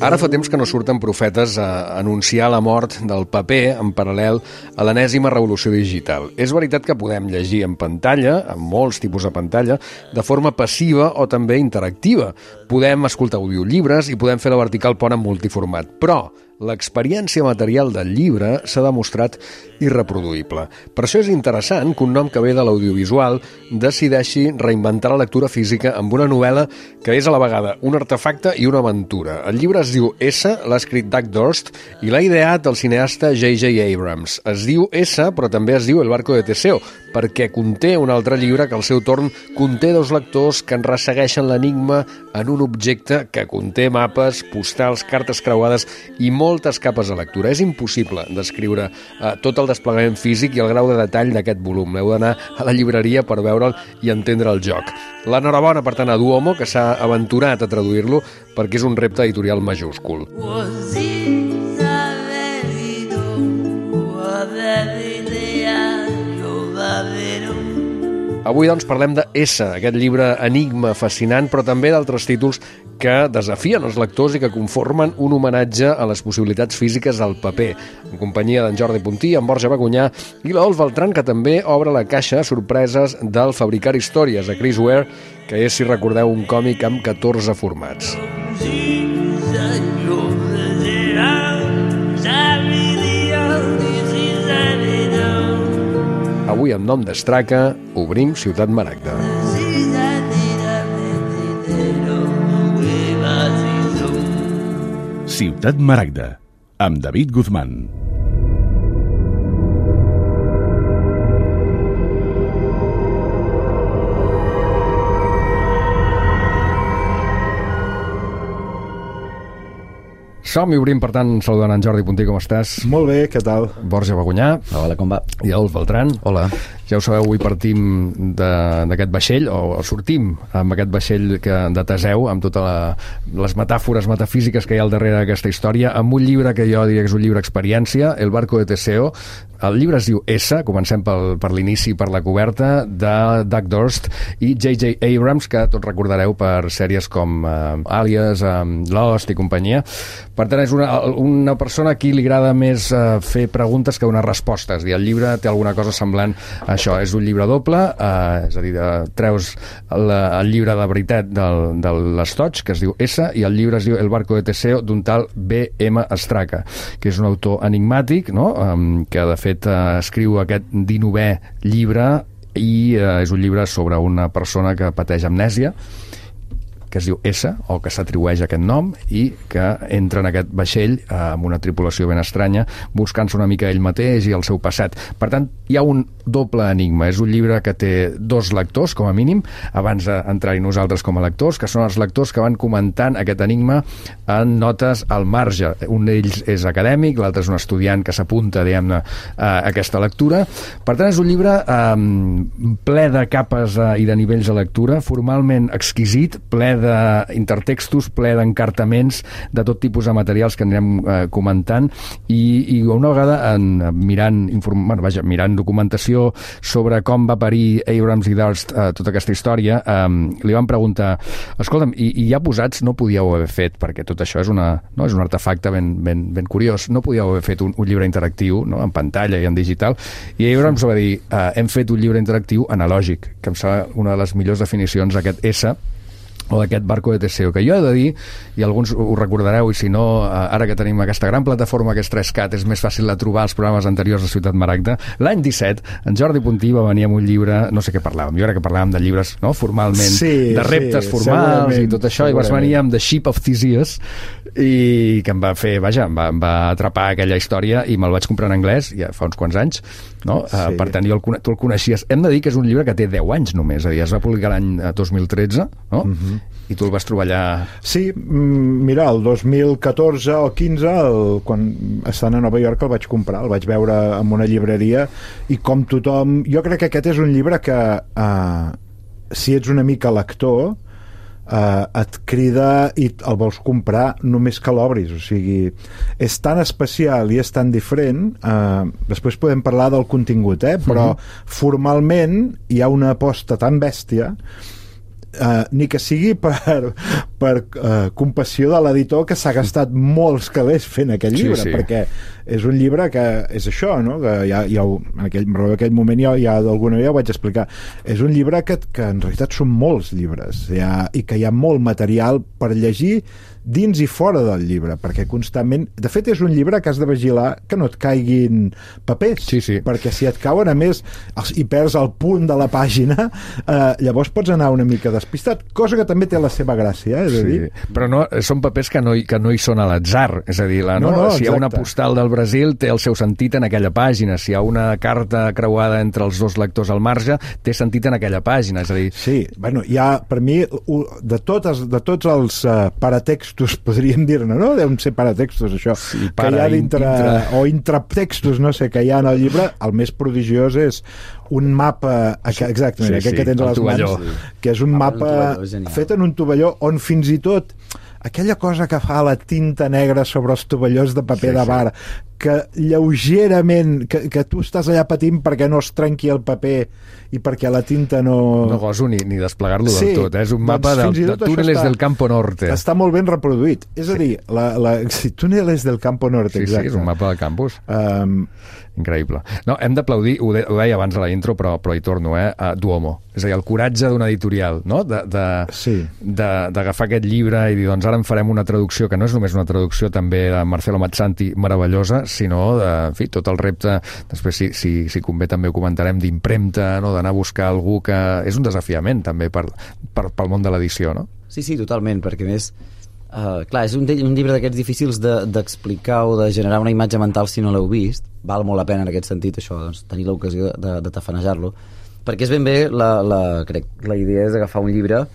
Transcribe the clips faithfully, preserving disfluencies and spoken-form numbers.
Ara fa temps que no surten profetes a anunciar la mort del paper en paral·lel a l'enèsima revolució digital. És veritat que podem llegir en pantalla, en molts tipus de pantalla, de forma passiva o també interactiva. Podem escoltar audiollibres i podem fer la vertical pont en multiformat. Però l'experiència material del llibre s'ha demostrat irreproduïble. Per això és interessant que un nom que ve de l'audiovisual decideixi reinventar la lectura física amb una novel·la que és a la vegada un artefacte i una aventura. El llibre es diu S, l'ha escrit Doug Dorst i l'ha ideat el cineasta J J Abrams. Es diu S, però també es diu El barco de Teseo, perquè conté un altre llibre que al seu torn conté dos lectors que en ressegueixen l'enigma en un objecte que conté mapes, postals, cartes creuades i moltes capes de lectura. És impossible descriure eh, tot el desplegament físic i el grau de detall d'aquest volum. Heu d'anar a la llibreria per veure'l i entendre el joc. L'enhorabona, per tant, a Duomo, que s'ha aventurat a traduir-lo perquè és un repte editorial majúscul. Avui, doncs, parlem de S, aquest llibre enigma fascinant, però també d'altres títols que desafien els lectors i que conformen un homenatge a les possibilitats físiques del paper, en companyia d'en Jordi Puntí, en Borja Bagunyà i l'Adolf Beltran, que també obre la caixa sorpreses del Fabricar històries, de Chris Ware, que és, si recordeu, un còmic amb catorze formats. Avui, en nom d'Estraca, obrim Ciutat Maragda. Ciutat Maragda, amb David Guzmán. Som i obrim, per tant, saludant en Jordi Puntí, com estàs? Molt bé, què tal? Borja Bagunyà. Hola, com va? I Adolf Beltran. Hola. Ja ho sabeu, avui partim d'aquest vaixell, o sortim amb aquest vaixell que, de Teseu, amb totes la, les metàfores metafísiques que hi ha al darrere d'aquesta història, amb un llibre que jo diria que és un llibre experiència, El barco de Teseo. El llibre es diu S, comencem pel, per l'inici, per la coberta, de Doug Dorst i J J Abrams, que tots recordareu per sèries com uh, Alias, um, Lost i companyia. Per tant, és una, una persona a qui li agrada més uh, fer preguntes que donar respostes. I el llibre té alguna cosa semblant a això. És un llibre doble, uh, és a dir, de, treus el, el llibre de veritat del, de l'Estoig, que es diu S, i el llibre es diu El barco de Teseo, d'un tal B M Estraca, que és un autor enigmàtic, no? um, que de fet uh, escriu aquest dinovè llibre i uh, és un llibre sobre una persona que pateix amnèsia, que es diu S, o que s'atribueix aquest nom, i que entra en aquest vaixell eh, amb una tripulació ben estranya, buscant-se una mica ell mateix i el seu passat. Per tant, hi ha un doble enigma. És un llibre que té dos lectors, com a mínim, abans d'entrar-hi nosaltres com a lectors, que són els lectors que van comentant aquest enigma en notes al marge. Un d'ells és acadèmic, l'altre és un estudiant que s'apunta, diguem-ne, a aquesta lectura. Per tant, és un llibre eh, ple de capes eh, i de nivells de lectura, formalment exquisit, ple de d'intertextos, ple d'encartaments de tot tipus de materials que anirem eh, comentant i, i una vegada en, mirant, inform, bueno, vaja, mirant documentació sobre com va parir Abrams i Dorst eh, tota aquesta història, eh, li van preguntar, escolta'm, i, i ja posats no podíeu haver fet, perquè tot això és, una, no, és un artefacte ben, ben, ben curiós, no podíeu haver fet un, un llibre interactiu, no, en pantalla i en digital, i Abrams va dir, eh, hem fet un llibre interactiu analògic, que em sembla una de les millors definicions d'aquest S, o d'aquest barco de Teseo, que jo he de dir, i alguns ho recordareu, i si no, ara que tenim aquesta gran plataforma que és tres cat, és més fàcil de trobar els programes anteriors de Ciutat Maragda. L'any disset, en Jordi Puntí va venir amb un llibre, no sé què parlàvem, jo crec que parlàvem de llibres, no?, formalment, sí, de reptes sí, formals i tot això, i vas venir amb The Ship of Theseus, i que em va fer, vaja, em va, em va atrapar aquella història, i me'l vaig comprar en anglès, ja fa uns quants anys, no? Sí. Uh, per tant, jo el, tu el coneixies. Hem de dir que és un llibre que té deu anys només, és a dir, es va publicar l'any dos mil tretze, no? Uh-huh. I tu el vas trobar allà... Sí, mira, el dos mil catorze o quinze, el, quan estant a Nova York el vaig comprar, el vaig veure en una llibreria, i com tothom... Jo crec que aquest és un llibre que, eh, si ets una mica lector, eh, et crida i el vols comprar només que l'obris. O sigui, és tan especial i és tan diferent, eh, després podem parlar del contingut, eh? Però uh-huh. formalment hi ha una aposta tan bèstia, Uh, ni que sigui per, per eh, compassió de l'editor, que s'ha gastat molts calés fent aquell llibre, sí, sí. perquè és un llibre que és això, no? Que ja, ja ho, en, aquell, en aquell moment ja, ja d'alguna manera ho vaig explicar. És un llibre que, que en realitat són molts llibres, ha, i que hi ha molt material per llegir dins i fora del llibre, perquè constantment... De fet, és un llibre que has de vigilar que no et caiguin papers, sí, sí. perquè si et cauen, a més, i perds el punt de la pàgina, eh, llavors pots anar una mica despistat, cosa que també té la seva gràcia, eh, és a dir... Sí. Però no, són papers que no, hi, que no hi són a l'atzar, és a dir, la, no, no, no, si hi ha una postal del Brasil té el seu sentit en aquella pàgina, si hi ha una carta creuada entre els dos lectors al marge, té sentit en aquella pàgina, és a dir... Sí, bueno, hi ha, per mi, de, totes, de tots els uh, paratextos, podríem dir-ne, no? Deuen ser paratextos, això, sí, para, que hi ha dintre, intra... o intraptextos, no sé, que hi ha en el llibre, el més prodigiós és un mapa, exactament, sí, aquest sí, que tens a les tovalló. Mans, sí. Que és un ah, mapa un fet en un tovalló on fins i tot aquella cosa que fa la tinta negra sobre els tovallons de paper sí, de bar, sí. que lleugerament, que, que tu estàs allà patint perquè no es trenqui el paper i perquè la tinta no... No goso ni, ni desplegar-lo sí, del tot, eh? És un mapa doncs, del, de túneles està, del Campo Norte. Està molt ben reproduït. És sí. a dir, la, la, sí, túneles del Campo Norte, sí, exacte. Sí, és un mapa del campus. Um, Increïble. No, hem d'aplaudir, ho, de, ho deia abans a la intro, però, però hi torno, eh? A Duomo. És a dir, el coratge d'una editorial, no? D'agafar sí. aquest llibre i dir, doncs ara en farem una traducció, que no és només una traducció també de Marcelo Mazzanti meravellosa, sinó, de, en fi, tot el repte, després si, si, si convé també ho comentarem, d'impremta, no? D'anar a buscar algú que... És un desafiament també per, per, pel món de l'edició, no? Sí, sí, totalment, perquè més... Uh, clar, és un, un llibre d'aquests difícils d'explicar de, o de generar una imatge mental si no l'heu vist. Val molt la pena en aquest sentit això, doncs, tenir l'ocasió de, de tafanejar-lo, perquè és ben bé la, la, crec, la idea és agafar un llibre uh,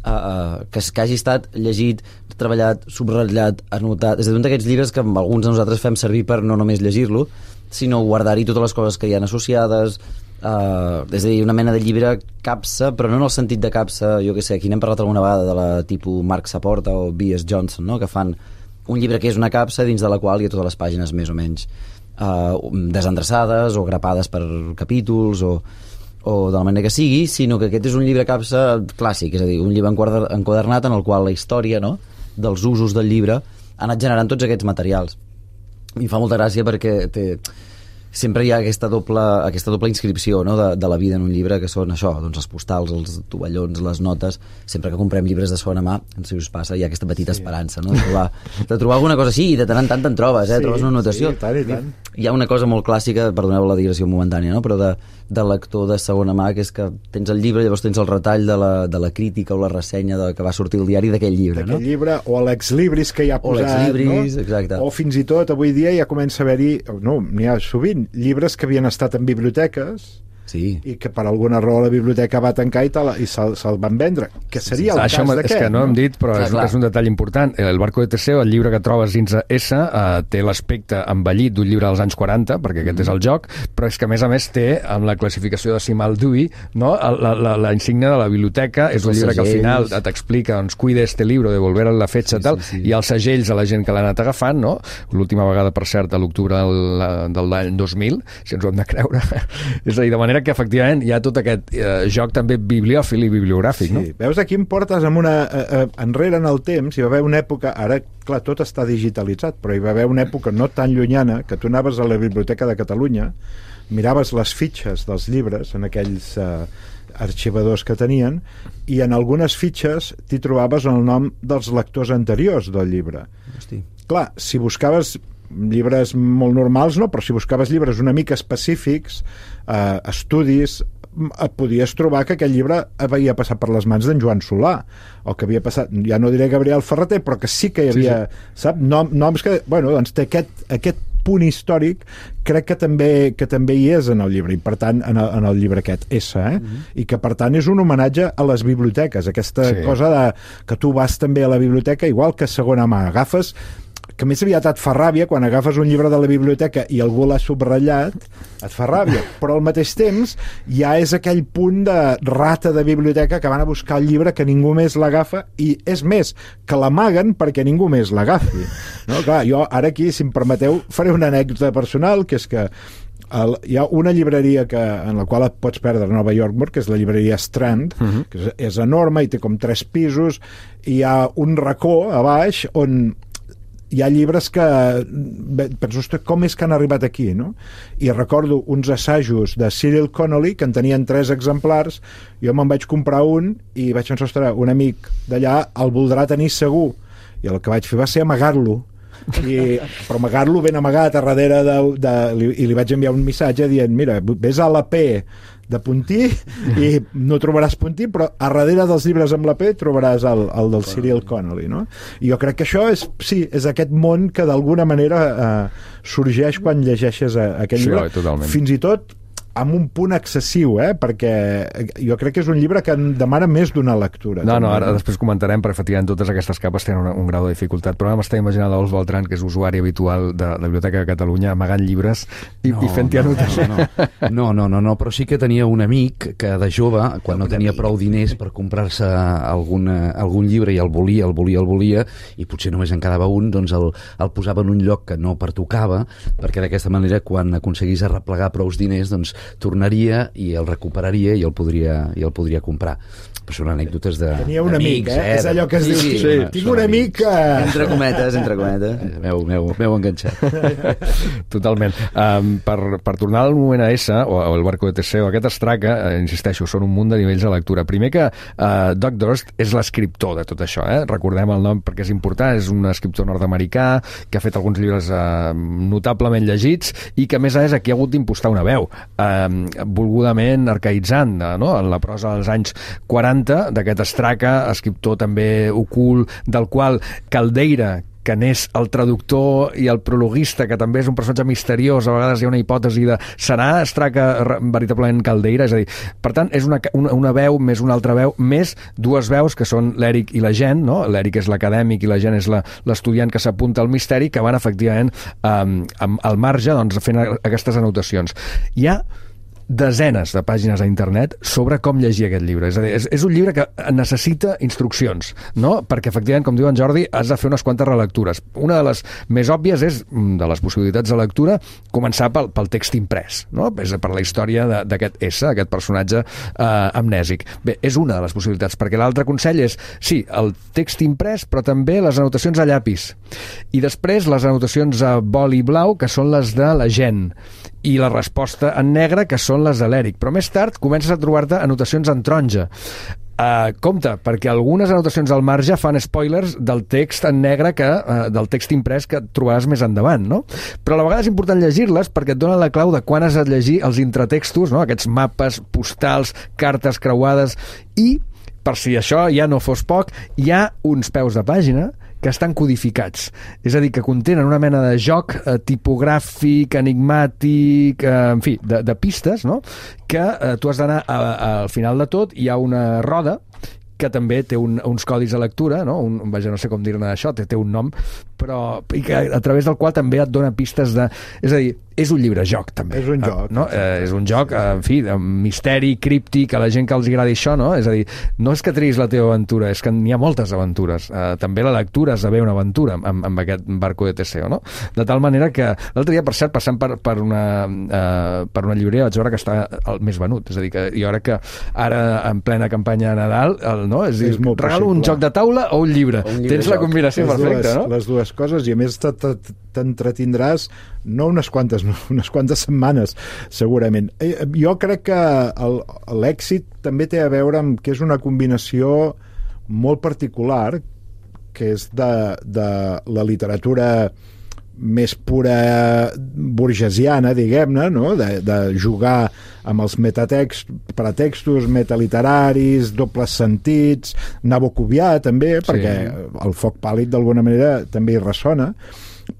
uh, que, que hagi estat llegit, treballat, subratllat, anotat. És a dir, un d'aquests llibres que alguns de nosaltres fem servir per no només llegir-lo, sinó guardar-hi totes les coses que hi ha associades. Uh, és a dir, una mena de llibre capsa, però no en el sentit de capsa, jo que sé, aquí n'hem parlat alguna vegada de la tipus Marc Saporta o B S Johnson, no? Que fan un llibre que és una capsa dins de la qual hi ha totes les pàgines més o menys uh, desendreçades o grapades per capítols o, o de la manera que sigui, sinó que aquest és un llibre capsa clàssic, és a dir, un llibre enquadernat en el qual la història, no?, dels usos del llibre ha anat generant tots aquests materials. I fa molta gràcia perquè té... sempre hi ha aquesta doble, aquesta doble inscripció, no?, de, de la vida en un llibre, que són això, doncs els postals, els tovallons, les notes. Sempre que comprem llibres de segona mà, no sé si us passa, hi ha aquesta petita sí. esperança, no?, de trobar, de trobar alguna cosa així, i de tant en tant te'n trobes, eh? Sí, trobes una anotació. Sí, tant i tant. Hi ha una cosa molt clàssica, perdoneu la digressió momentània, no?, però de, de lector de segona mà, que és que tens el llibre, llavors tens el retall de la, de la crítica o la ressenya de, que va sortir el diari d'aquell llibre, no? D'aquell llibre, o l'exlibris que hi ha posat, o l'exlibris, no? Exacte. O fins i tot, avui dia ja comença a haver-hi, no, n'hi ha sovint, llibres que havien estat en biblioteques sí. i que per alguna raó la biblioteca va tancar i, i se'l se van vendre, que seria el això cas d'aquest. És que no, no hem dit, però clar, és, clar. és un detall important. El Barco de Teseo, el llibre que trobes dins S, uh, té l'aspecte envellit d'un llibre dels anys quaranta, perquè aquest mm. és el joc, però és que a més a més té, amb la classificació decimal Dewey, no? la, la, la insígnia de la biblioteca, és un llibre que al final t'explica, doncs, cuida este libro, devolver la fetge, sí, tal, sí, sí. I els segells a la gent que l'ha anat agafant, no? L'última vegada, per cert, a l'octubre del, del l'any dos mil, si ens ho hem de creure. És a dir, de manera que, efectivament, hi ha tot aquest eh, joc també bibliòfil i bibliogràfic, sí. no? Veus, aquí em portes amb una... Eh, eh, enrere en el temps, hi va haver una època... Ara, clar, tot està digitalitzat, però hi va haver una època no tan llunyana que tu anaves a la Biblioteca de Catalunya, miraves les fitxes dels llibres en aquells eh, arxivadors que tenien, i en algunes fitxes t'hi trobaves el nom dels lectors anteriors del llibre. Hosti. Clar, si buscaves llibres molt normals, no, però si buscaves llibres una mica específics, eh, estudis, et podies trobar que aquell llibre havia passat per les mans d'en Joan Solà, o que havia passat, ja no diré Gabriel Ferreter, però que sí que hi havia, sí, sí. Sap, Nom, noms que, bueno, doncs té aquest, aquest punt històric, crec que també, que també hi és en el llibre, i per tant en el, en el llibre aquest S, eh? Mm-hmm. I que per tant és un homenatge a les biblioteques, aquesta sí. cosa de, que tu vas també a la biblioteca, igual que segona mà, agafes, que més aviat et fa ràbia quan agafes un llibre de la biblioteca i algú l'ha subratllat, et fa ràbia, però al mateix temps ja és aquell punt de rata de biblioteca que van a buscar el llibre que ningú més l'agafa, i és més, que l'amaguen perquè ningú més l'agafi, no? Clar, jo ara aquí, si em permeteu, faré una anècdota personal, que és que el, hi ha una llibreria que, en la qual et pots perdre a Nova York, que és la llibreria Strand, uh-huh. que és, és enorme i té com tres pisos, i hi ha un racó a baix on hi ha llibres que penso, ostres, com és que han arribat aquí, no? I recordo uns assajos de Cyril Connolly que en tenien tres exemplars, jo me'n vaig comprar un i vaig pensar, ostres, un amic d'allà el voldrà tenir segur, i el que vaig fer va ser amagar-lo, I, però amagar-lo ben amagat a darrere de, de, i li vaig enviar un missatge dient, mira, ves a l'A P de Puntí i no trobaràs Puntí, però a darrere dels llibres amb la P trobaràs el, el del Cyril Connolly, no? I jo crec que això és, sí, és aquest món que d'alguna manera eh, sorgeix quan llegeixes aquest sí, llibre, totalment. Fins i tot amb un punt excessiu, eh? Perquè jo crec que és un llibre que demana més d'una lectura. No, també. no, ara després comentarem, perquè efectivament totes aquestes capes tenen un, un grau de dificultat, però ara m'està imaginant l'Ols Beltran, que és usuari habitual de la Biblioteca de Catalunya, amagant llibres i, no, i fent-hi no, anotacions. No, no, no, no, però sí que tenia un amic que de jove, quan no tenia prou diners per comprar-se algun, algun llibre i el volia, el volia, el volia, i potser només en quedava un, doncs el, el posava en un lloc que no pertocava, perquè d'aquesta manera, quan aconseguís arreplegar prous diners, doncs tornaria i el recuperaria i el podria, i el podria comprar. Però són anècdotes de... Tenia un amic, eh? És allò que es sí, diu, sí, sí, sí, tinc un amic que... Entre cometes, entre cometes. M'heu, m'heu, m'heu enganxat. Totalment. Um, per, per tornar al moment a S, o, o el barco de Teseo, aquest Estraca, eh, insisteixo, són un munt de nivells de lectura. Primer que uh, Doug Durst és l'escriptor de tot això, eh? Recordem el nom perquè és important, és un escriptor nord-americà que ha fet alguns llibres uh, notablement llegits i que a més a més aquí ha hagut d'impostar una veu, uh, volgudament arcaïtzant, no? En la prosa dels anys quaranta d'aquest Estraca, escriptor també ocult, del qual Caldeira, que n'és el traductor i el prologuista, que també és un personatge misteriós, a vegades hi ha una hipòtesi de serà Estraca veritablement Caldeira? És a dir, per tant, és una, una, una veu més una altra veu, més dues veus que són l'Eric i la Jen, no? L'Eric és l'acadèmic i la Jen és l'estudiant que s'apunta al misteri, que van efectivament um, al marge, doncs, fent aquestes anotacions. Hi ha desenes de pàgines a internet sobre com llegir aquest llibre. És a dir, és, és un llibre que necessita instruccions, no? Perquè, efectivament, com diu en Jordi, has de fer unes quantes relectures. Una de les més òbvies és, de les possibilitats de lectura, començar pel, pel text imprès, no? És per la història d'aquest S, aquest personatge eh, amnèsic. Bé, és una de les possibilitats, perquè l'altre consell és, sí, el text imprès, però també les anotacions a llapis. I després les anotacions a boli blau, que són les de la Jen, i la resposta en negre, que són les de l'Eric. Però més tard comences a trobar-te anotacions en taronja. Uh, compte, perquè algunes anotacions al marge fan spoilers del text en negre, que, uh, del text imprès que trobaràs més endavant, no? Però a la vegada és important llegir-les perquè et donen la clau de quan has de llegir els intratextos, no? Aquests mapes postals, cartes creuades, i, per si això ja no fos poc, hi ha uns peus de pàgina que estan codificats. És a dir, que contenen una mena de joc eh, tipogràfic, enigmàtic, eh, en fi, de, de pistes, no? Que eh, tu has d'anar al final de tot, hi ha una roda que també té un, uns codis de lectura, no? Un, vaja, no sé com dir-ne això, té, té un nom, però i que, a través del qual també et dona pistes de... És a dir, és un llibre-joc, també. És un joc. No? Eh, és un joc, eh, en fi, de misteri, críptic, a la gent que els agradi això, no? És a dir, no és que triïs la teva aventura, és que n'hi ha moltes aventures. Eh, també la lectura esdevé una aventura amb, amb aquest barco de Teseo, no? De tal manera que l'altre dia, per cert, passant per, per, una, eh, per una llibreria, vaig veure que està el més venut. És a dir, que jo crec que ara, en plena campanya de Nadal, el, no? És, és dir, regalo possible. Un joc de taula o un llibre. Un llibre Tens la combinació les perfecta, dues, no? Les dues coses, i a més t'entretindràs no unes quantes, no, unes quantes setmanes, segurament. Jo crec que l'èxit també té a veure amb que és una combinació molt particular, que és de, de la literatura més pura burgesiana, diguem-ne, no? de, de jugar amb els metatext, pretextos metaliteraris, dobles sentits, nabocovià també, sí. Perquè el foc pàl·lid d'alguna manera també hi ressona,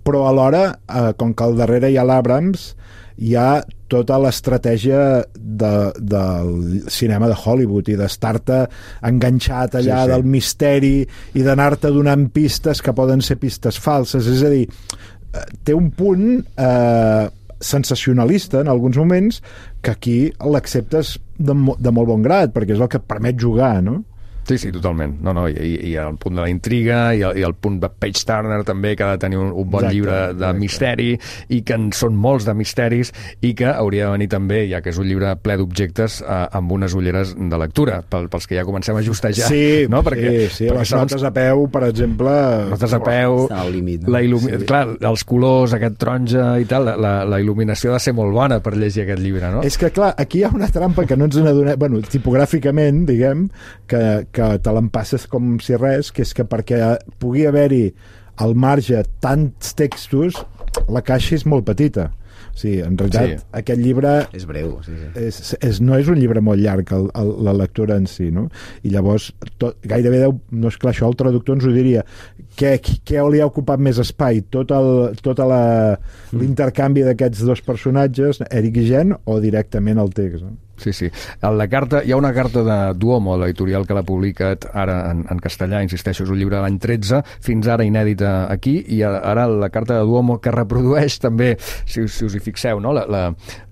però alhora, eh, com que al darrere hi ha l'Abrams, hi ha tota l'estratègia de, del cinema de Hollywood i d'estar-te enganxat allà sí, sí. del misteri i d'anar-te donant pistes que poden ser pistes falses. És a dir, té un punt eh, sensacionalista en alguns moments que aquí l'acceptes de, de molt bon grat, perquè és el que et permet jugar, no? Sí, sí, totalment. No, no, i, i el punt de la intriga i el, i el punt de page turner també, que ha de tenir un, un bon exacte, llibre de exacte. misteri, i que en són molts de misteris, i que hauria de venir també, ja que és un llibre ple d'objectes, eh, amb unes ulleres de lectura, pel, pels que ja comencem a justejar. Sí, no? perquè, sí, sí, perquè les segons... notes a peu, per exemple... Notes a peu, Estan al límit, no? la il·lumi... Sí. clar, els colors, aquest taronja i tal, la, la il·luminació ha de ser molt bona per llegir aquest llibre, no? És que, clar, aquí hi ha una trampa que no ens n'adonem... Bueno, tipogràficament, diguem, que, que te l'empasses com si res, que és que perquè pugui haver-hi al marge tants textos, la caixa és molt petita. O sigui, en realitat, Sí. aquest llibre... És breu, sí, sí. És, és, no és un llibre molt llarg el, el, la lectura en si, no? I llavors tot, gairebé deu, no és clar, això el traductor ens ho diria, què, què li ha ocupat més espai, tot el, tota la, l'intercanvi d'aquests dos personatges, Eric i Jen, o directament el text, no? Sí, sí. La carta, hi ha una carta de Duomo, l'editorial que l'ha publicat ara en, en castellà, insisteixo, és un llibre de l'any tretze, fins ara inèdita aquí, i ara la carta de Duomo que reprodueix també, si, si us hi fixeu, no? la, la,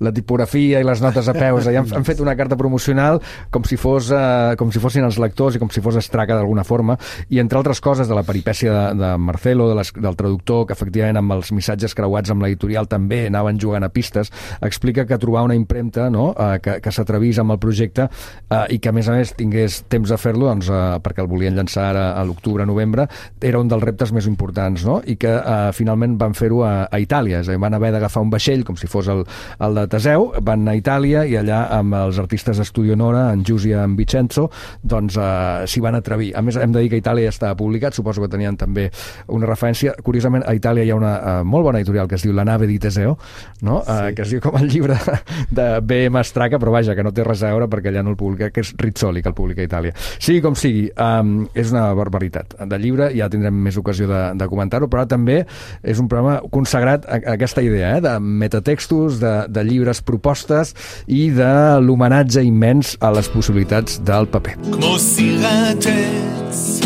la tipografia i les notes a peus, ja han, han fet una carta promocional com si, fos, eh, com si fossin els lectors i com si fos estraca d'alguna forma, i entre altres coses de la peripècia de, de Marcelo, de les, del traductor, que efectivament amb els missatges creuats amb l'editorial també anaven jugant a pistes, explica que trobar una impremta, no? eh, que, que s'atrevís amb el projecte eh, i que a més a més tingués temps de fer-lo, doncs, eh, perquè el volien llançar ara a l'octubre-novembre, era un dels reptes més importants, no? I que eh, finalment van fer-ho a, a Itàlia, és a dir, van haver d'agafar un vaixell com si fos el, el de Teseu, van anar a Itàlia i allà amb els artistes d'Estudio Nora, en Gius i en Vincenzo, doncs eh, s'hi van atrevir. A més, hem de dir que a Itàlia ja estava publicat, suposo que tenien també una referència. Curiosament, a Itàlia hi ha una eh, molt bona editorial que es diu La nave di Teseo, no? Sí. Eh, que es diu com el llibre de B M Straca, però vaja, que no té res a veure perquè allà no el publica, que és Rizzoli que el publica a Itàlia. Sigui com sigui, um, és una barbaritat de llibre, ja tindrem més ocasió de, de comentar-ho, però també és un programa consagrat a, a aquesta idea, eh, de metatextos, de, de llibres propostes i de l'homenatge immens a les possibilitats del paper. כמו סירת עץ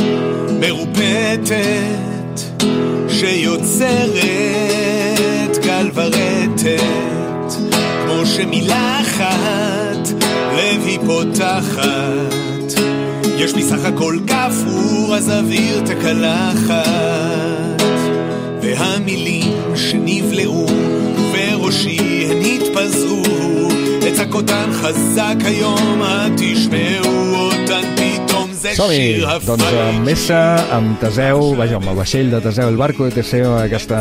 מרופטת שיוצרת גל ורטת כמו שמילה אחת לב פותחת יש לי סך הכל כפור אז אוויר תקלחת והמילים שנבלעו בראשי הן התפזרו הצעקותן חזק היום תשמעו אותן פתאום זה שיר Som-hi, doncs amb Messa, amb Teseu, vaja, amb el vaixell de Teseu, el barco de Teseu, aquesta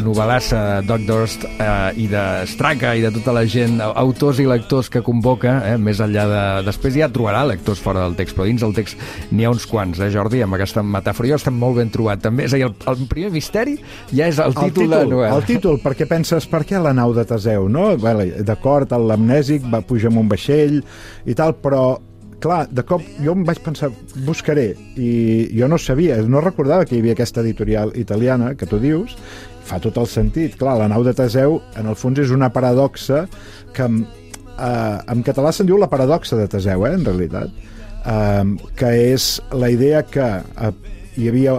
novel·lassa Doc Durst eh, i de Straka i de tota la gent, autors i lectors que convoca, eh, més enllà de... Després ja trobarà lectors fora del text, però dins del text n'hi ha uns quants, eh, Jordi, amb aquesta metàfora. Jo estem molt ben trobat, també. És a dir, el, el primer misteri ja és el títol, el títol de la novel·la. El títol, perquè penses, per què la nau de Teseu, no? Bé, d'acord, l'amnèsic va pujar amb un vaixell i tal, però clar, de cop jo em vaig pensar, buscaré, i jo no sabia, no recordava que hi havia aquesta editorial italiana, que tu dius, fa tot el sentit. Clar, la nau de Teseu, en el fons, és una paradoxa que en, eh, en català se'n diu la paradoxa de Teseu, eh, en realitat, eh, que és la idea que eh, hi havia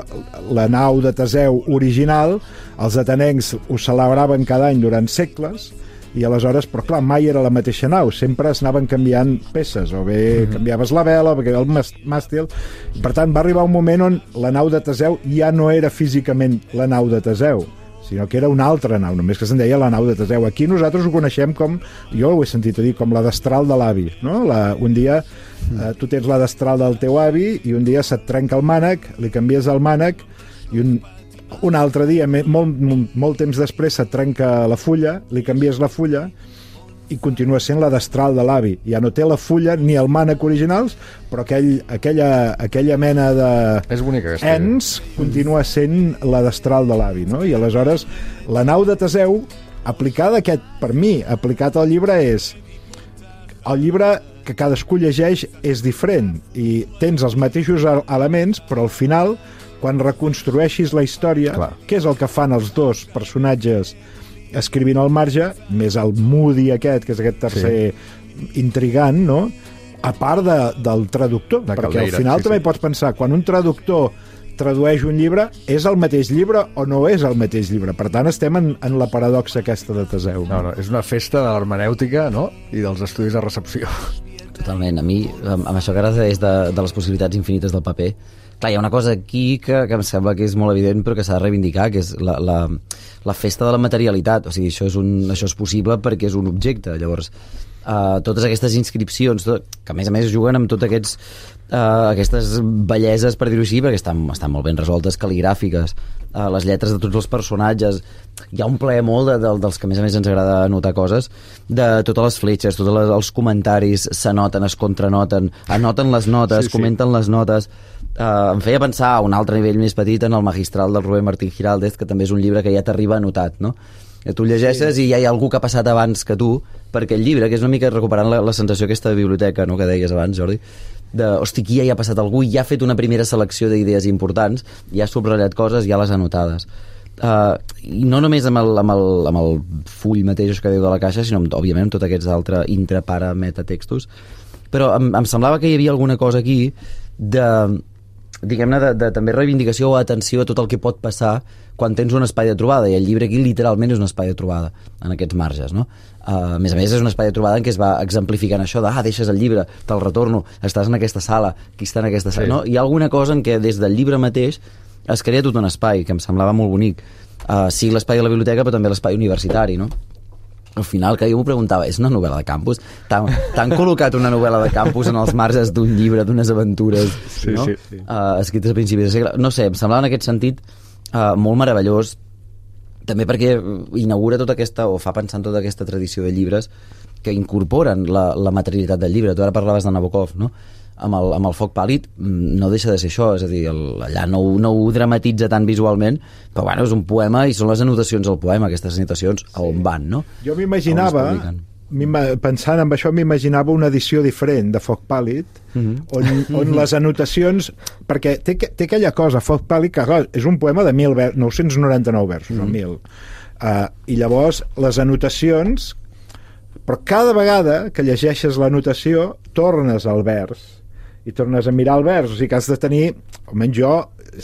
la nau de Teseu original, els atenencs ho celebraven cada any durant segles, i aleshores, però clar, mai era la mateixa nau, sempre es anaven canviant peces, o bé mm-hmm. canviaves la vela, o bé el màstil, i per tant va arribar un moment on la nau de Teseu ja no era físicament la nau de Teseu, sinó que era una altra nau, només que se'n deia la nau de Teseu. Aquí nosaltres ho coneixem com, jo ho he sentit a dir, com la destral de l'avi, no? La, un dia eh, tu tens la destral del teu avi i un dia se't trenca el mànec, li canvies el mànec i un un altre dia, molt, molt, molt temps després se't trenca la fulla, li canvies la fulla i continua sent la destral de l'avi. Ja no té la fulla ni el mànec originals, però aquell, aquella, aquella mena de és bonica, aquesta ens continua sent la destral de l'avi, no? I aleshores la nau de Teseu, aplicada aquest, per mi, aplicat al llibre, és el llibre que cadascú llegeix és diferent i tens els mateixos elements, però al final quan reconstrueixis la història, clar, què és el que fan els dos personatges escrivint al marge, més el Moody aquest, que és aquest tercer sí. intrigant, no? A part de, del traductor, de perquè Caldeira, al final sí, també sí. pots pensar, quan un traductor tradueix un llibre, és el mateix llibre o no és el mateix llibre? Per tant, estem en, en la paradoxa aquesta de Teseu. No, no, és una festa de l'hermenèutica, no? I dels estudis de recepció. Totalment. A mi, amb, amb això que ara és de, de les possibilitats infinites del paper, clar, hi ha una cosa aquí que, que em sembla que és molt evident però que s'ha de reivindicar, que és la, la, la festa de la materialitat. O sigui, això és, un, això és possible perquè és un objecte. Llavors, uh, totes aquestes inscripcions, tot, que a més a més juguen amb tots aquests Uh, aquestes belleses, per dir-ho així, perquè estan, estan molt ben resoltes, cal·ligràfiques, uh, les lletres de tots els personatges. Hi ha un plaer molt de, de, dels que a més a més ens agrada anotar coses, de totes les fletxes, tots les, els comentaris s'anoten, es contranoten, anoten les notes, sí, sí. comenten les notes. Uh, em feia pensar a un altre nivell més petit en el Magistral del Rubén Martín Giraldez, que també és un llibre que ja t'arriba anotat, no? Que tu llegeixes sí. i ja hi ha algú que ha passat abans que tu per aquell llibre, que és una mica recuperant la, la sensació aquesta de biblioteca, no?, que deies abans, Jordi, de, hosti, aquí ja hi ha passat algú i ja ha fet una primera selecció d'idees importants, ja ha subratllat coses, ja les ha anotades. Uh, i no només amb el, amb, el, amb el full mateix que diu de la caixa, sinó amb, òbviament amb tots aquests altres intra, para, metatextos, però em, em semblava que hi havia alguna cosa aquí de, diguem-ne, de, de també reivindicació o atenció a tot el que pot passar quan tens un espai de trobada, i el llibre aquí literalment és un espai de trobada en aquests marges, no? Uh, a més a més és un espai de trobada en què es va exemplificant això de, ah, deixes el llibre, te'l retorno, estàs en aquesta sala, qui està en aquesta sala, sí. no? Hi ha alguna cosa en què des del llibre mateix es crea tot un espai que em semblava molt bonic, uh, sí l'espai de la biblioteca però també l'espai universitari, no? Al final, que jo m'ho preguntava, és una novel·la de campus? T'han col·locat una novel·la de campus en els marges d'un llibre, d'unes aventures, sí, no? Sí, sí. Uh, escrites a principis de segle. No sé, em semblava en aquest sentit uh, molt meravellós, també perquè inaugura tota aquesta, o fa pensar en tota aquesta tradició de llibres que incorporen la, la materialitat del llibre. Tu ara parlaves de Nabokov, no? Amb el, amb el foc pàl·lid no deixa de ser això, és a dir, el, allà no, no ho dramatitza tant visualment, però bueno, és un poema i són les anotacions del poema, aquestes anotacions a on van, no? Jo m'imaginava, pensant en això, m'imaginava una edició diferent de Foc Pàl·lid, mm-hmm. on, on les anotacions, perquè té, té aquella cosa, Foc Pàl·lid, que clar, és un poema de mil vers, nou-cents noranta-nou versos, mm-hmm. o mil, uh, i llavors les anotacions, però cada vegada que llegeixes l'anotació tornes al vers i tornes a mirar el vers, o sigui que has de tenir, almenys jo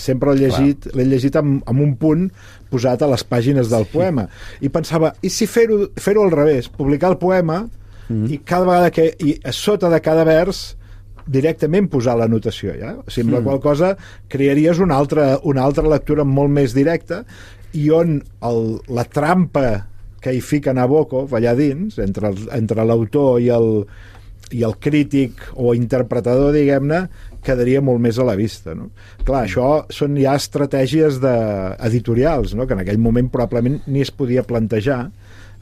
sempre l'he llegit, l'he llegit amb, amb un punt posat a les pàgines del poema, i pensava, i si fer-ho fer-ho al revés, publicar el poema mm-hmm. i cada vegada que i a sota de cada vers directament posar l'anotació, ja? O sigui, amb mm. la qual cosa crearies una altra, una altra lectura molt més directa, i on el, la trampa que hi fica Nabokov allà dins, entre, el, entre l'autor i el i el crític o interpretador, diguem-ne, quedaria molt més a la vista, no? Clar, això són ja estratègies de, editorials, no? Que en aquell moment probablement ni es podia plantejar.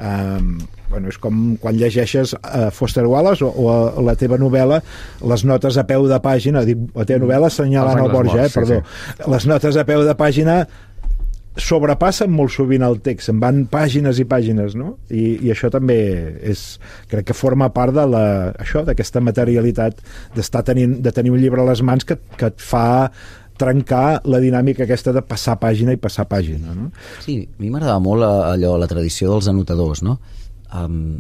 Um, bueno, és com quan llegeixes uh, Foster Wallace o, o a la teva novel·la, les notes a peu de pàgina, dic, la teva novel·la assenyalant el Borja, eh, perdó, sí, sí. Les notes a peu de pàgina sobrepassen molt sovint el text, en van pàgines i pàgines, no? I, i això també és, crec que forma part de la, això, d'aquesta materialitat d'estar tenint, de tenir un llibre a les mans que, que et fa trencar la dinàmica aquesta de passar pàgina i passar pàgina, no? Sí, a mi m'agradava molt allò, la tradició dels anotadors, no? Um,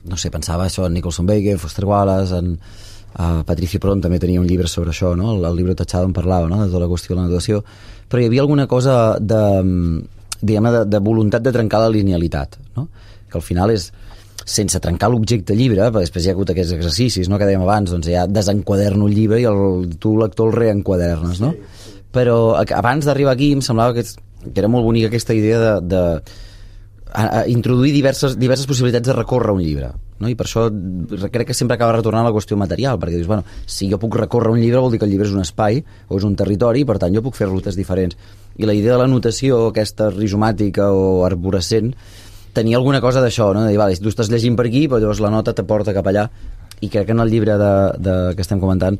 no sé, pensava això en Nicholson Baker, Foster Wallace, en uh, Patricio Pron també tenia un llibre sobre això, no? El, el llibre Tachado en parlava, no? De tota la qüestió de l'anotació, però hi havia alguna cosa de, diguem-ne, de, de voluntat de trencar la linealitat, no? Que al final és, sense trencar l'objecte llibre, perquè després hi ha hagut aquests exercicis, no?, que dèiem abans, doncs ja desenquaderno el llibre i el, tu, lector, el reenquadernes, no? Sí, sí. Però abans d'arribar aquí em semblava que, que era molt bonica aquesta idea de, de a, a introduir diverses, diverses possibilitats de recórrer un llibre, no? I per això crec que sempre acaba retornant a la qüestió material, perquè dius, bueno, si jo puc recórrer un llibre vol dir que el llibre és un espai o és un territori, i per tant jo puc fer rutes diferents. I la idea de l'anotació, aquesta rizomàtica o arborescent, tenia alguna cosa d'això, no? De dir, vale, tu estàs llegint per aquí, però llavors la nota te porta cap allà, i crec que en el llibre de, de, que estem comentant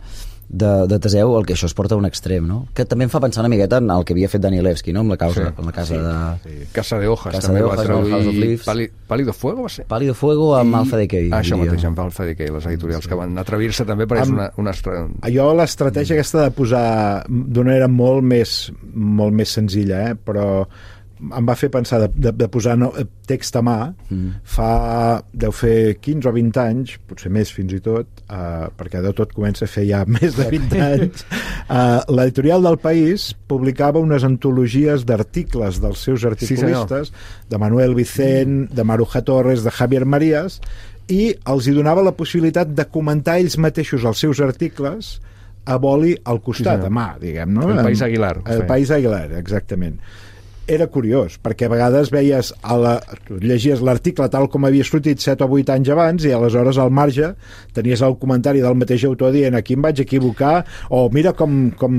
de, de Teseu, el que això es porta a un extrem, no? Que també em fa pensar una miqueta en el que havia fet Danielewski, no? Amb la, causa, sí, amb la casa sí, de... Sí. Casa de Hojas, casa també de va Hojas, traduir Pali, Pálido Fuego, va ser? Pálido Fuego amb I... Alpha Decay. Ah, això mateix, amb Alpha Decay, les editorials, sí, que van atrevir-se també, perquè amb... és una... una estra... Jo l'estratègia aquesta de posar d'una manera molt més, molt més senzilla, eh? Però em va fer pensar de, de, de posar no, text a mà mm. fa, deu fer quinze o vint anys, potser més fins i tot, uh, perquè de tot comença a fer ja més de vint anys. Uh, l'editorial del País publicava unes antologies d'articles dels seus articulistes, sí, de Manuel Vicent, mm. de Maruja Torres, de Javier Marías, i els hi donava la possibilitat de comentar ells mateixos els seus articles a boli al costat, sí, a mà, diguem, no? El País Aguilar. El País Aguilar, exactament. Era curiós, perquè a vegades veies a la, llegies l'article tal com havia sortit set o vuit anys abans i aleshores al marge tenies el comentari del mateix autor dient aquí em vaig equivocar o mira com, com,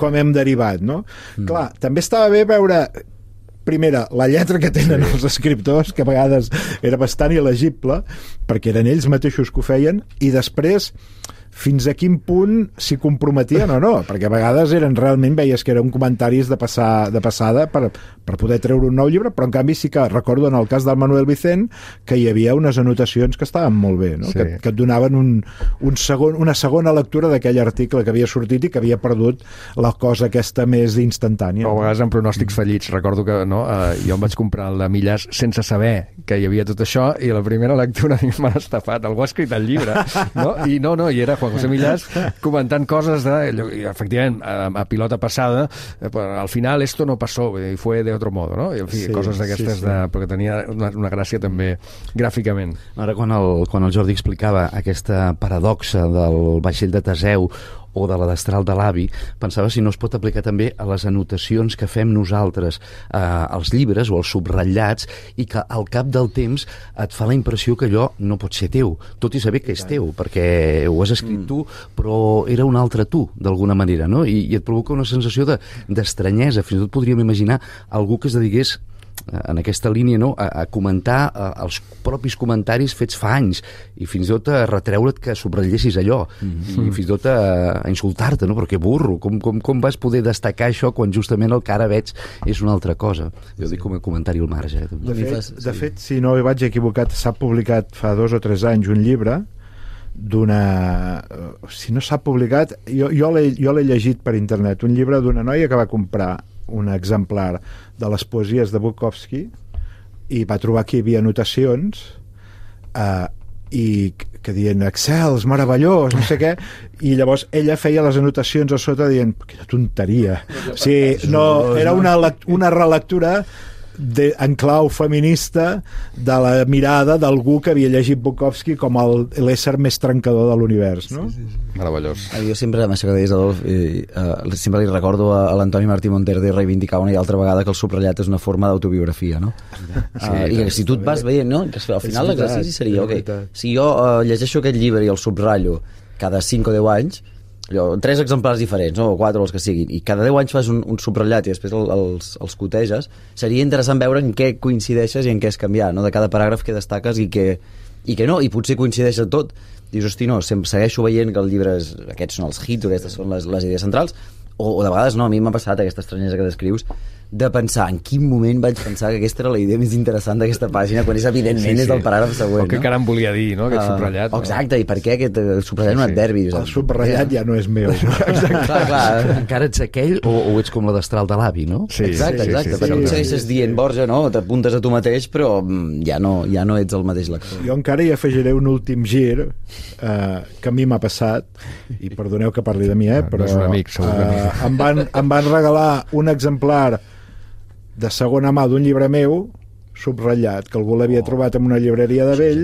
com hem derivat, no? Mm. Clar, també estava bé veure primera, la lletra que tenen els escriptors, que a vegades era bastant il·legible, perquè eren ells mateixos que ho feien, i després fins a quin punt s'hi comprometien o no, perquè a vegades eren realment, veies que eren comentaris de, passar, de passada per, per poder treure un nou llibre, però en canvi sí que recordo en el cas del Manuel Vicent que hi havia unes anotacions que estaven molt bé, no? Sí. que, que et donaven un, un segon, una segona lectura d'aquell article que havia sortit i que havia perdut la cosa aquesta més instantània. O a vegades en pronòstics fallits. Recordo que no, eh, jo em vaig comprar el de Millàs sense saber que hi havia tot això i la primera lectura m'ha estafat. Algú ha escrit el llibre, no? I no, no, i era Juan José Millàs comentant coses de, i efectivament, a, a pilota passada, eh, al final esto no pasó, y fue de otro modo, no? I, en fi, sí, coses d'aquestes, sí, sí. De, perquè tenia una, una gràcia també gràficament. Ara, quan el, quan el Jordi explicava aquesta paradoxa del vaixell de Teseu o de la destral de l'avi, pensava si no es pot aplicar també a les anotacions que fem nosaltres eh, als llibres o als subratllats i que al cap del temps et fa la impressió que allò no pot ser teu, tot i saber que és teu, perquè ho has escrit tu, però era un altre tu, d'alguna manera, no? I, i et provoca una sensació de, d'estranyesa. Fins i tot podríem imaginar algú que es dediqués en aquesta línia, no? a, a comentar a, els propis comentaris fets fa anys i fins i tot a retreure't que subratllessis allò mm-hmm. i fins i tot a, a insultar-te, no? Però que burro, com, com, com vas poder destacar això quan justament el que ara veig és una altra cosa? Jo dic com a comentari al marge. De fet, de fet, si no hi vaig equivocat, s'ha publicat fa dos o tres anys un llibre d'una... si no s'ha publicat, jo, jo l'he jo l'he llegit per internet, un llibre d'una noia que va comprar un exemplar de les poesies de Bukowski i va trobar que hi havia anotacions eh, i que dient excels, meravellós, no sé què, i llavors ella feia les anotacions a sota dient quina tonteria, o sigui, no, era una, una relectura de, en clau feminista de la mirada d'algú que havia llegit Bukowski com el, l'ésser més trencador de l'univers, no? Sí, sí, sí. Meravellós. Jo sempre, això que deies, Adolf, i, uh, sempre li recordo a, a l'Antoni Martí Monterde reivindicar una i altra vegada que el subratllat és una forma d'autobiografia, no? Sí, uh, I que si tu et vas veient, no? Que al final l'exercici seria, ok, si jo uh, llegeixo aquest llibre i el subratllo cada cinc o deu anys, allò, tres exemplars diferents, no? O quatre, o els que siguin, i cada deu anys fas un, un subratllat i després el, els, els coteges, seria interessant veure en què coincideixes i en què has canviat, no? De cada paràgraf que destaques i que, i que no, i potser coincideix en tot. Dius, hosti, no, segueixo veient que el llibre és, aquests són els hits o aquestes són les, les idees centrals, o, o de vegades no, a mi m'ha passat aquesta estranyesa que descrius de pensar en quin moment vaig pensar que aquesta era la idea més interessant d'aquesta pàgina quan és evidentment sí, sí. és el paràgraf següent, o què no? caram volia dir, no? Aquest uh, subratllat, no? Exacte, i per què aquest subratllat sí, sí. un adverbi? El subratllat ja no és meu. Exacte. Clar, clar. Encara ets aquell o, o ets com la destral de l'avi, no? Sí, exacte, exacte, sí, sí, perquè sí, tu segueixes sí, dient, Borja, no? T'apuntes a tu mateix, però ja no, ja no ets el mateix lector. Jo encara hi afegiré un últim gir eh, que a mi m'ha passat, i perdoneu que parli de mi, eh, però no és un amic, segur que eh, em, van, em van regalar un exemplar de segona mà d'un llibre meu subratllat, que algú l'havia oh, trobat en una llibreria de vell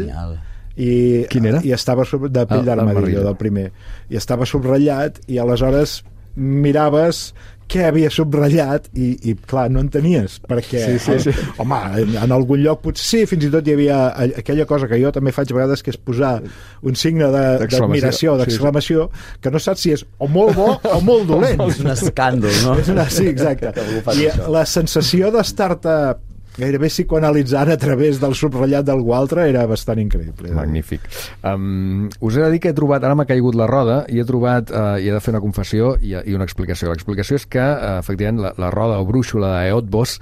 i, quin era? i estava sub... de Pell ah, d'Armadillo, del primer, i estava subratllat i aleshores miraves què havia subratllat i, i clar, no entenies perquè, sí, sí, sí. home, en algun lloc potser sí, fins i tot hi havia aquella cosa que jo també faig a vegades, que és posar un signe de, d'admiració, d'exclamació, sí, que no saps si és o molt bo o molt dolent. És un escàndol, no? És una, sí, exacte. I la sensació d'estar-te gairebé psicoanalitzant a través del subratllat d'algú altre, era bastant increïble. Magnífic. Um, us he de dir que he trobat, ara m'ha caigut la roda, i he trobat, uh, i he de fer una confessió i, i una explicació. L'explicació és que, uh, efectivament, la, la roda o brúixola d'Eötvös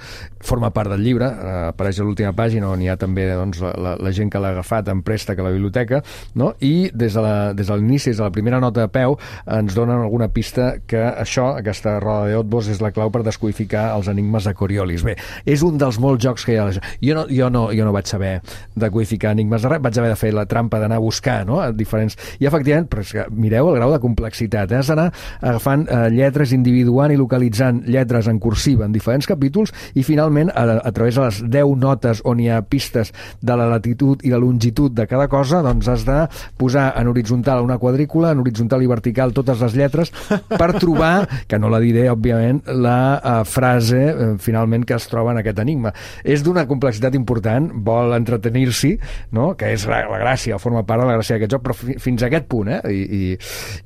forma part del llibre, uh, apareix a l'última pàgina on hi ha també doncs, la, la, la gent que l'ha agafat en préstec a la biblioteca, no? I des de, la, des de l'inici, des de la primera nota de peu, ens donen alguna pista que això, aquesta roda d'Eötvös, és la clau per descodificar els enigmes de Coriolis. Bé, és un dels molts jocs que hi ha. Jo no, jo no, jo no vaig saber decodificar enigmes de res, vaig haver de fer la trampa d'anar a buscar, no?, a diferents... I, efectivament, però és que mireu el grau de complexitat, eh? Has d'anar agafant eh, lletres, individuant i localitzant lletres en cursiva en diferents capítols, i finalment a, a través de les deu notes on hi ha pistes de la latitud i la longitud de cada cosa, doncs has de posar en horitzontal una quadrícula, en horitzontal i vertical totes les lletres per trobar, que no la diré òbviament, la uh, frase uh, finalment que es troba en aquest enigma. És d'una complexitat important, vol entretenir-s'hi, no?, que és la, la gràcia, forma part de la gràcia d'aquest joc, però fi, fins a aquest punt, eh? I, i,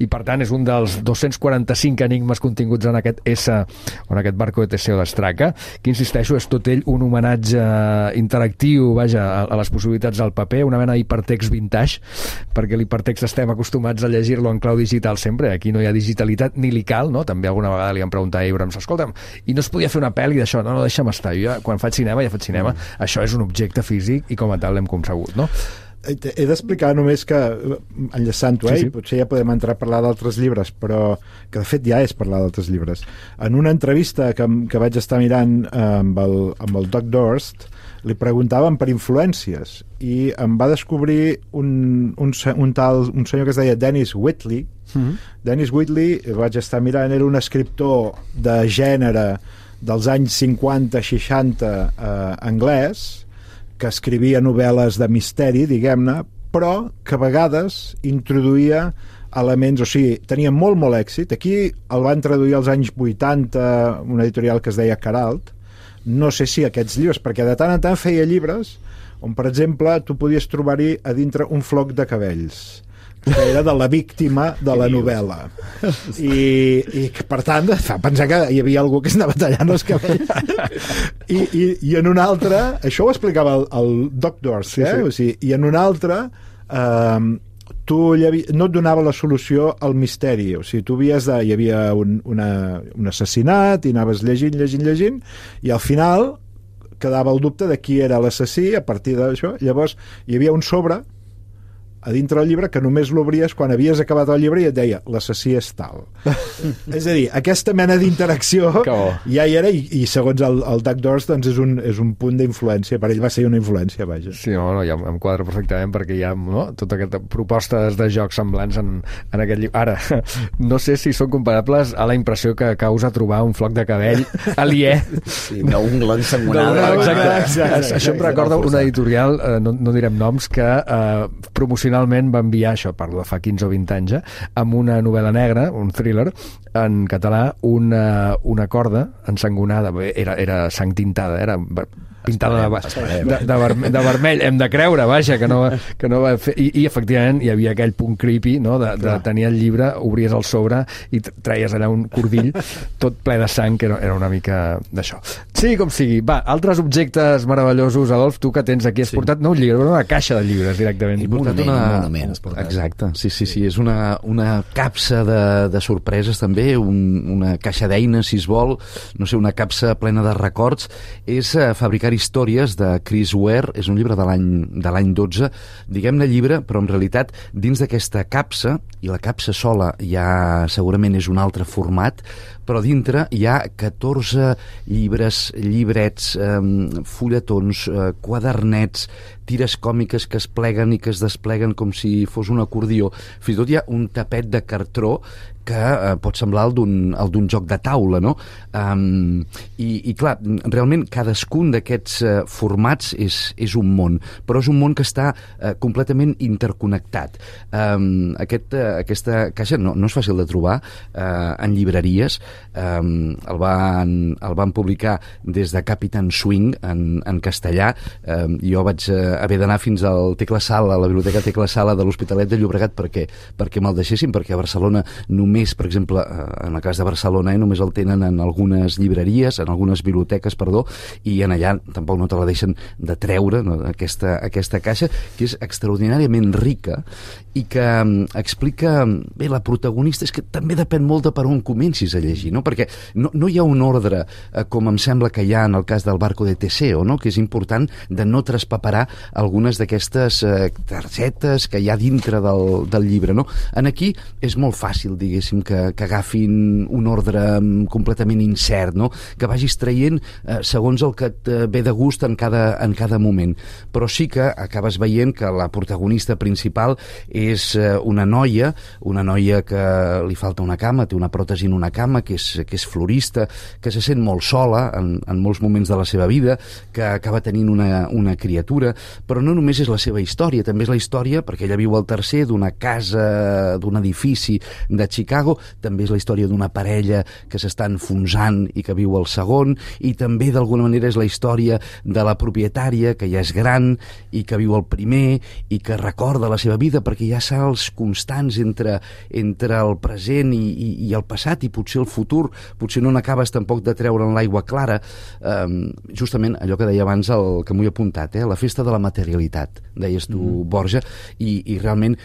i per tant és un dels dos-cents quaranta-cinc enigmes continguts en aquest S, o en aquest Barco de Teseo d'Estraca, que insisteixo, és tot ell un homenatge interactiu, vaja, a, a les possibilitats del paper, una mena d'hipertext vintage, perquè l'hipertext estem acostumats a llegir-lo en clau digital sempre, aquí no hi ha digitalitat ni li cal, no? També alguna vegada li han preguntat a Abrams, escolta'm, i no es podia fer una pel·li d'això? No, no, deixa'm estar, jo ja, quan faig cinema, ja faig cinema, mm. això és un objecte físic i com a tal l'hem concebut, no? He d'explicar només que, enllaçant-ho, eh, sí, sí. potser ja podem entrar a parlar d'altres llibres, però que de fet ja és parlar d'altres llibres. En una entrevista que, que vaig estar mirant eh, amb, el, amb el Doc Dorst, li preguntaven per influències i em va descobrir un, un, un tal un senyor que es deia Dennis Whitley. Mm-hmm. Dennis Whitley, vaig estar mirant, era un escriptor de gènere dels anys cinquanta seixanta eh, anglès, que escrivia novel·les de misteri, diguem-ne, però que a vegades introduïa elements, o sigui, tenia molt, molt èxit. Aquí el van traduir als anys vuitanta, una editorial que es deia Caralt. No sé si aquests llibres, perquè de tant en tant feia llibres on, per exemple, tu podies trobar-hi a dintre un floc de cabells, que era de la víctima de la novel·la. I, i que, per tant, fa pensar que hi havia algú que anava tallant els cabells. I, i, i en un altre, això ho explicava el, el Doc Dorst, eh? Sí, sí. O sigui, i en un altre eh, tu llavi, no et donava la solució al misteri, o sigui, tu havies de, hi havia un, una, un assassinat i anaves llegint, llegint, llegint, i al final quedava el dubte de qui era l'assassí a partir d'això. Llavors hi havia un sobre a dintre del llibre que només l'obries quan havies acabat el llibre i et deia l'assassí és tal. És a dir, aquesta mena d'interacció ja hi era, i, i segons el, el Doc Dorst doncs és un, és un punt d'influència, per ell va ser una influència, vaja. Sí, no, no, ja em quadra perfectament perquè hi ha, no, tota aquesta propostes de jocs semblants en, en aquest llibre. Ara, no sé si són comparables a la impressió que causa trobar un floc de cabell aliè. Sí, d'un glon sangonada. No, exacte, exacte. Això em recorda una editorial, eh, no, no direm noms, que eh, promocionalment va enviar, això parlo de fa quinze o vint anys, eh, amb una novel·la negra, un thriller, en català, una, una corda ensangonada, era, era sang tintada, era pintada de, de, de, vermell, de vermell, hem de creure, vaja, que no, que no va fer... I, i efectivament hi havia aquell punt creepy, no?, de, de tenir el llibre, obries el sobre i traies allà un cordill tot ple de sang, que era, era una mica d'això. Sí, com sigui. Va, altres objectes meravellosos, Adolf, tu que tens aquí, has sí. portat no un llibre, una caixa de llibres directament. He portat una... Un monument, exacte, sí, sí, sí, és una, una capsa de, de sorpreses també, un, una caixa d'eines, si es vol, no sé, una capsa plena de records. És uh, fabricar històries de Chris Ware, és un llibre de l'any de l'any dotze, diguem-ne llibre, però en realitat dins d'aquesta capsa, i la capsa sola ja segurament és un altre format, però dintre hi ha catorze llibres, llibrets, eh, fulletons, eh, quadernets, tires còmiques que es pleguen i que es despleguen com si fos un acordió. Fins i tot hi ha un tapet de cartró que eh, pot semblar el d'un el d'un joc de taula, no? Um, i, I clar, realment cadascun d'aquests eh, formats és, és un món, però és un món que està eh, completament interconnectat. Um, aquest, eh, aquesta caixa no, no és fàcil de trobar eh, en llibreries. Um, el, van, el van publicar des de Captain Swing en, en castellà. Um, jo vaig eh, haver d'anar fins al Tecla Sala, a la biblioteca Tecla Sala de l'Hospitalet de Llobregat perquè, perquè me'l deixessin, perquè a Barcelona només, per exemple, en el cas de Barcelona, eh, només el tenen en algunes llibreries, en algunes biblioteques, perdó, i en allà tampoc no te la deixen de treure, no, aquesta, aquesta caixa, que és extraordinàriament rica i que um, explica... Bé, la protagonista és que també depèn molt de per on comencis a llegir, no? Perquè no, no hi ha un ordre, eh, com em sembla que hi ha en el cas del Barco de Teseo, no? Que és important de no traspaperar algunes d'aquestes eh, targetes que hi ha dintre del, del llibre, no? En aquí és molt fàcil, diguéssim, que, que agafin un ordre completament incert, no? Que vagis traient eh, segons el que et ve de gust en cada, en cada moment. Però sí que acabes veient que la protagonista principal és eh, una noia, una noia que li falta una cama, té una pròtesi en una cama, que és, que és florista, que se sent molt sola en, en molts moments de la seva vida, que acaba tenint una, una criatura, però no només és la seva història, també és la història, perquè ella viu al tercer, d'una casa, d'un edifici de Chicago, també és la història d'una parella que s'està enfonsant i que viu al segon, i també d'alguna manera és la història de la propietària, que ja és gran i que viu al primer i que recorda la seva vida, perquè hi ha salts constants entre, entre el present i, i, i el passat, i potser el futur, potser no n'acabes tampoc de treure en l'aigua clara. Um, justament allò que deia abans, el que m'ho he apuntat, eh? La festa de la materialitat, deies tu, mm. Borja, i, i realment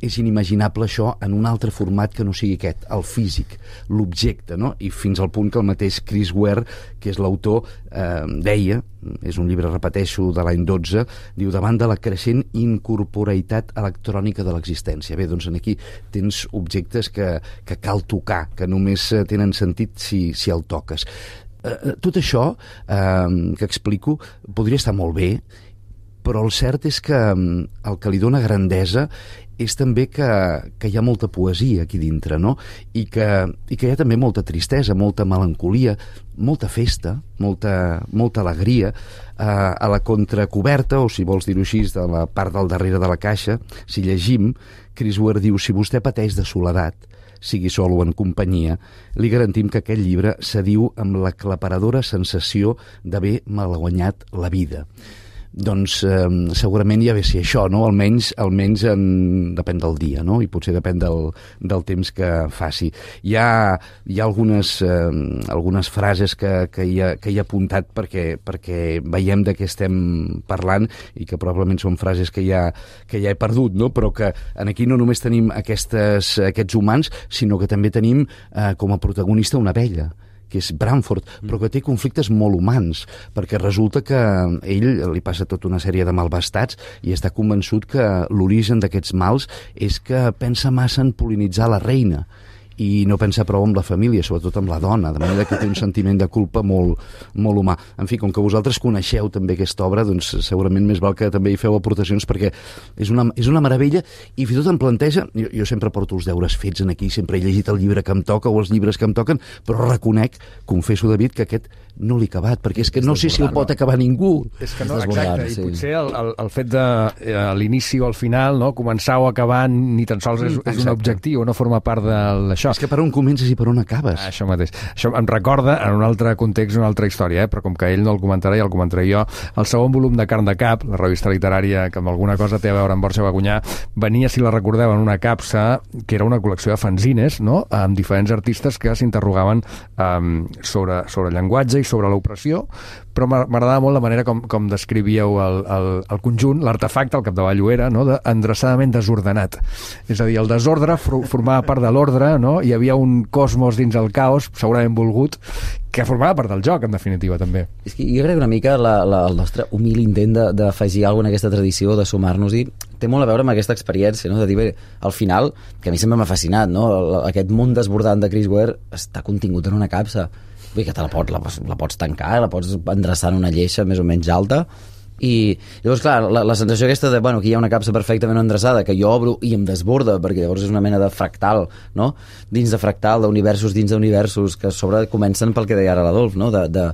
és inimaginable això en un altre format que no sigui aquest, el físic, l'objecte, no? I fins al punt que el mateix Chris Ware, que és l'autor, eh, deia, és un llibre, repeteixo, de l'any dotze, diu, davant de la creixent incorporeitat electrònica de l'existència. Bé, doncs aquí tens objectes que, que cal tocar, que només tenen sentit si, si el toques. Eh, tot això eh, que explico podria estar molt bé, però el cert és que el que li dona grandesa és també que, que hi ha molta poesia aquí dintre, no? I que, i que hi ha també molta tristesa, molta melancolia, molta festa, molta, molta alegria. Eh, a la contracoberta, o si vols dir-ho així, de la part del darrere de la caixa, si llegim, Chris Ware diu, si vostè pateix de soledat, sigui sol o en companyia, li garantim que aquest llibre s'adiu amb l'aclaparadora sensació d'haver malguanyat la vida. Doncs eh, segurament ja ve ser això, no? Almenys, almenys en, depèn del dia, no? I potser depèn del, del temps que faci. Hi ha, hi ha algunes, eh, algunes frases que, que, hi ha, que hi ha apuntat perquè, perquè veiem de què estem parlant i que probablement són frases que ja, que ja he perdut, no? Però que en aquí no només tenim aquestes, aquests humans, sinó que també tenim eh, com a protagonista una abella, que és Branford, però que té conflictes molt humans, perquè resulta que a ell li passa tota una sèrie de malvestats i està convençut que l'origen d'aquests mals és que pensa massa en pol·linitzar la reina i no pensa prou amb la família, sobretot amb la dona, de manera que té un sentiment de culpa molt, molt humà. En fi, com que vosaltres coneixeu també aquesta obra, doncs segurament més val que també hi feu aportacions, perquè és una, és una meravella, i fins i tot em planteja, jo, jo sempre porto els deures fets en aquí, sempre he llegit el llibre que em toca o els llibres que em toquen, però reconec, confesso, David, que aquest no l'he acabat, perquè és que no sé si el pot acabar ningú. És que no, exacte, i potser el, el, el fet de eh, l'inici o al final, no, començar o acabar ni tan sols és, és un objectiu, no forma part d'això. És que per on comences i per on acabes. Això mateix. Això em recorda, en un altre context, una altra història, eh? Però com que ell no el comentarà i el comentaré jo, el segon volum de Carn de Cap, la revista literària que amb alguna cosa té a veure amb Borja Bagunyà, venia, si la recordeu, en una capsa que era una col·lecció de fanzines, no?, amb diferents artistes que s'interrogaven um, sobre, sobre llenguatge i sobre l'opressió, però m'agradava molt la manera com, com descrivíeu el, el, el conjunt, l'artefacte, al capdavall ho era, no?, d'endreçadament desordenat. És a dir, el desordre formava part de l'ordre, no?, hi havia un cosmos dins el caos, segurament volgut, que formava part del joc, en definitiva, també. És que jo crec que una mica la, la, el nostre humil intent d'afegir alguna cosa en aquesta tradició, de sumar-nos-hi, té molt a veure amb aquesta experiència, no?, de dir, bé, al final, que a mi sempre m'ha fascinat, no?, aquest món desbordant de Chris Ware està contingut en una capsa. Bé, que te la pots, la, la pots tancar, la pots endreçar en una lleixa més o menys alta, i llavors, clar, la, la sensació aquesta de, bueno, aquí hi ha una capsa perfectament endreçada que jo obro i em desborda, perquè llavors és una mena de fractal, no?, dins de fractal, d'universos dins d'universos, que a sobre comencen pel que deia ara l'Adolf, no?, de, de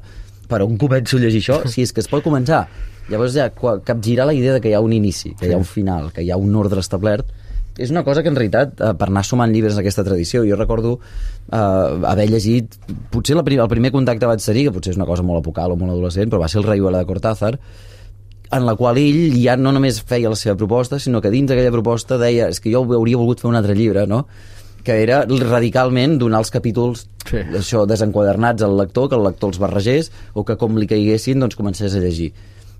per on començo a llegir això, si és que es pot començar. Llavors ja capgirar la idea de que hi ha un inici, que hi ha un final, que hi ha un ordre establert, és una cosa que en realitat, eh, per anar sumant llibres en aquesta tradició, jo recordo eh, haver llegit, potser la prim, el primer contacte vaig ser, que potser és una cosa molt apocal o molt adolescent, però va ser el Rayuela de Cortázar, en la qual ell ja no només feia la seva proposta, sinó que dins d'aquella proposta deia, és que jo hauria volgut fer un altre llibre, no? Que era radicalment donar els capítols sí. això desenquadernats al lector, que el lector els barregés, o que com li caiguessin doncs comencés a llegir.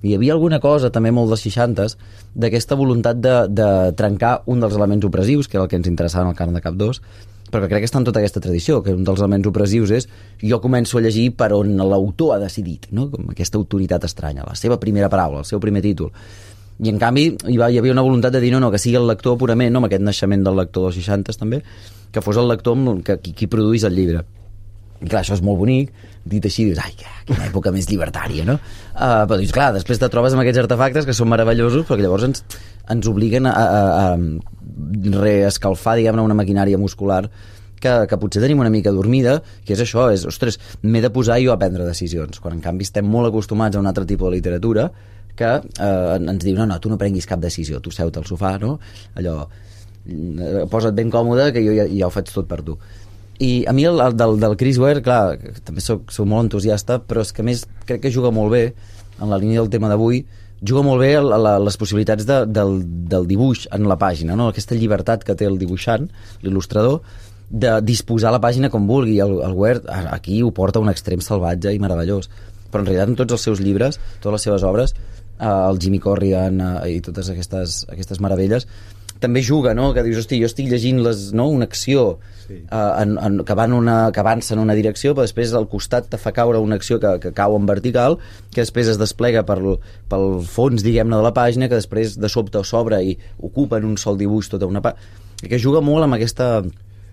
I hi havia alguna cosa, també molt dels seixantes, d'aquesta voluntat de, de trencar un dels elements opressius, que era el que ens interessava en el Carn de Cap dos, perquè crec que està en tota aquesta tradició, que un dels elements opressius és jo començo a llegir per on l'autor ha decidit, no? Com aquesta autoritat estranya, la seva primera paraula, el seu primer títol. I en canvi hi, va, hi havia una voluntat de dir no, no, que sigui el lector purament, no, amb aquest naixement del lector dels seixantes també, que fos el lector que, qui, qui produís el llibre. I clar, això és molt bonic, dit així, dius, ai, quina època més llibertària, no? Uh, però dius, clar, després te trobes amb aquests artefactes que són meravellosos, perquè llavors ens, ens obliguen a, a, a reescalfar, diguem-ne, una maquinària muscular que, que potser tenim una mica dormida, que és això, és, ostres, m'he de posar jo a prendre decisions, quan en canvi estem molt acostumats a un altre tipus de literatura que eh, ens diu, no, no, tu no prenguis cap decisió, tu seu-te al sofà, no? Allò, posa't ben còmode, que jo ja, ja ho faig tot per tu. I a mi el, el del, del Chris Ware, clar, també soc, soc molt entusiasta, però és que a més crec que juga molt bé, en la línia del tema d'avui, juga molt bé a, a, a les possibilitats de, del, del dibuix en la pàgina, no? Aquesta llibertat que té el dibuixant, l'il·lustrador, de disposar la pàgina com vulgui. El, el Ware aquí ho porta a un extrem salvatge i meravellós, però en realitat en tots els seus llibres, totes les seves obres, eh, el Jimmy Corrigan eh, i totes aquestes, aquestes meravelles, també juga, no? Que dius, hosti, jo estic llegint les, no? Una acció sí. uh, en, en, que, van una, que avança en una direcció, però després al costat te fa caure una acció que, que cau en vertical, que després es desplega per, pel fons, diguem-ne, de la pàgina, que després de sobte s'obre i ocupa en un sol dibuix tota una pàgina. Que juga molt amb aquesta...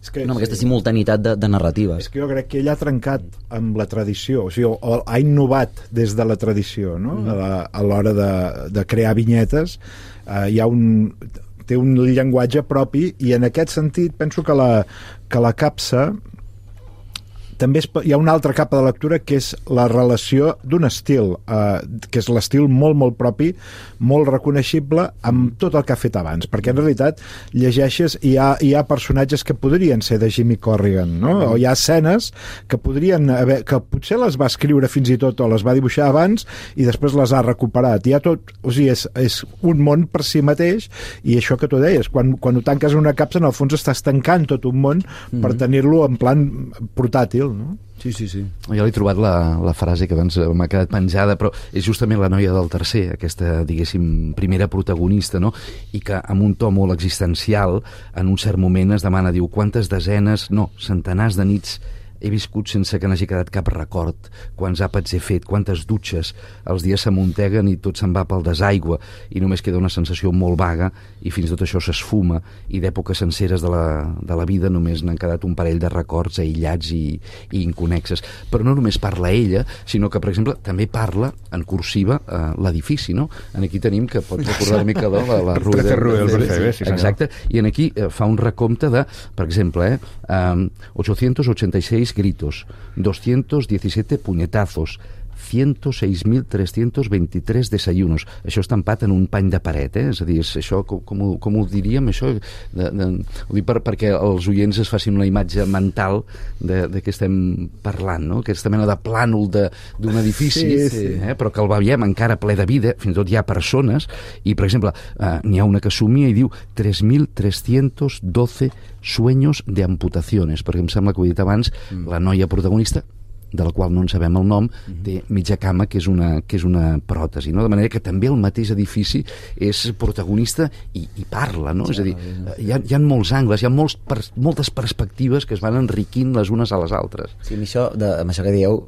És que, no, amb aquesta sí. simultanitat de, de narratives. És que jo crec que ell ha trencat amb la tradició, o sigui, o, o ha innovat des de la tradició, no? Mm. A l'hora de, de crear vinyetes. Uh, hi ha un... té un llenguatge propi i en aquest sentit penso que la, que la capsa també es, hi ha una altra capa de lectura que és la relació d'un estil eh, que és l'estil molt molt propi, molt reconeixible amb tot el que ha fet abans, perquè en realitat llegeixes i hi ha, hi ha personatges que podrien ser de Jimmy Corrigan, no? O hi ha escenes que podrien haver, que potser les va escriure fins i tot o les va dibuixar abans i després les ha recuperat. Hi ha tot, o sigui, és, és un món per si mateix i això que tu deies, quan, quan ho tanques en una capsa en el fons estàs tancant tot un món mm-hmm. per tenir-lo en plan portàtil, no? Sí, sí, sí. Jo l'he trobat la, la frase que abans m'ha quedat penjada, però és justament la noia del tercer, aquesta, diguéssim, primera protagonista, no? I que amb un to molt existencial, en un cert moment es demana, diu, quantes desenes, no, centenars de nits he viscut sense que n'hagi quedat cap record, quants àpats he fet, quantes dutxes, els dies s'amunteguen i tot se'n va pel desaigua i només queda una sensació molt vaga i fins i tot això s'esfuma i d'èpoques senceres de la, de la vida només n'han quedat un parell de records aïllats i, i inconexes. Però no només parla ella, sinó que, per exemple, també parla en cursiva eh, l'edifici, no? En aquí tenim, que pots recordar una mica de la, la Rue de, Rue del Percebe, sí, exacte, i en aquí eh, fa un recompte de, per exemple, eh, um, ochocientos ochenta y seis gritos, doscientos diecisiete puñetazos, ciento seis mil trescientos veintitrés desayunos. Això estampat en un pany de paret, eh? És a dir, és això, com, com, ho, com ho diríem, això? De, de, ho dic per, perquè els oients es facin una imatge mental de, de què estem parlant, no? Aquesta mena de plànol d'un edifici, sí, sí. Eh? Però que el veiem encara ple de vida, fins i tot hi ha persones, i, per exemple, eh, n'hi ha una que somia i diu tres mil tres-cents dotze sueños de amputaciones, perquè em sembla que ho he dit abans, mm. la noia protagonista, de la qual no en sabem el nom, té mitja cama, que és una, que és una pròtesi, no? De manera que també el mateix edifici és protagonista i, i parla, no? Sí, és a dir, hi ha, hi ha molts angles, hi ha molts, per, moltes perspectives que es van enriquint les unes a les altres. Sí, amb això, de, amb això que dieu,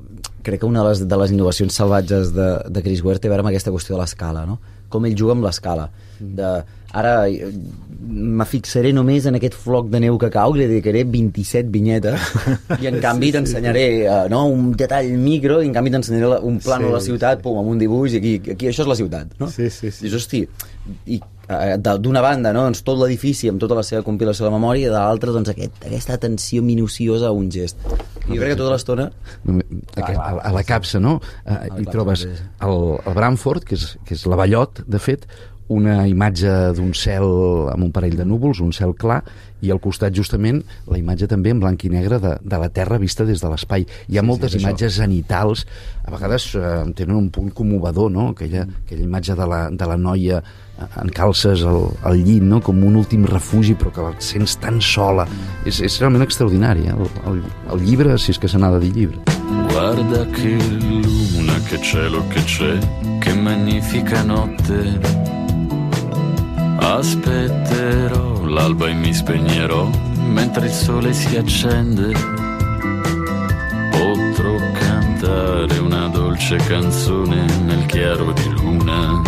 crec que una de les, de les innovacions salvatges de, de Chris Ware té a veure amb aquesta qüestió de l'escala, no? Com ell juga amb l'escala. De, ara me fixaré només en aquest floc de neu que cau i li dedicaré vint-i-set vinyetes i en canvi sí, t'ensenyaré sí. uh, no, un detall micro i en canvi t'ensenyaré un plano sí, de la ciutat, sí. Pum, amb un dibuix i aquí, aquí això és la ciutat, no? Sí, sí, sí. Dius, hosti, i uh, d'una banda, no, doncs, tot l'edifici amb tota la seva compilació de la memòria i de l'altra doncs, aquest, aquesta atenció minuciosa a un gest. I jo crec que tota l'estona a, a la capsa, no? Uh, hi trobes el, el Bramford, que és, que és l'avellot, de fet, una imatge d'un cel amb un parell de núvols, un cel clar, i al costat justament la imatge també en blanc i negre de, de la Terra vista des de l'espai. Hi ha sí, moltes sí, imatges zenitals, a vegades eh, tenen un punt commovedor, no? Aquella, aquella imatge de la, de la noia en calces al, al llit, no? Com un últim refugi, però que la sents tan sola. És, és realment extraordinari, eh? el, el, el llibre, si és que se n'ha de dir llibre. Guarda che luna, che cielo che c'è, che magnifica notte. Aspetterò l'alba e mi spegnerò mentre il sole si accende. Potrò cantare una dolce canzone nel chiaro di luna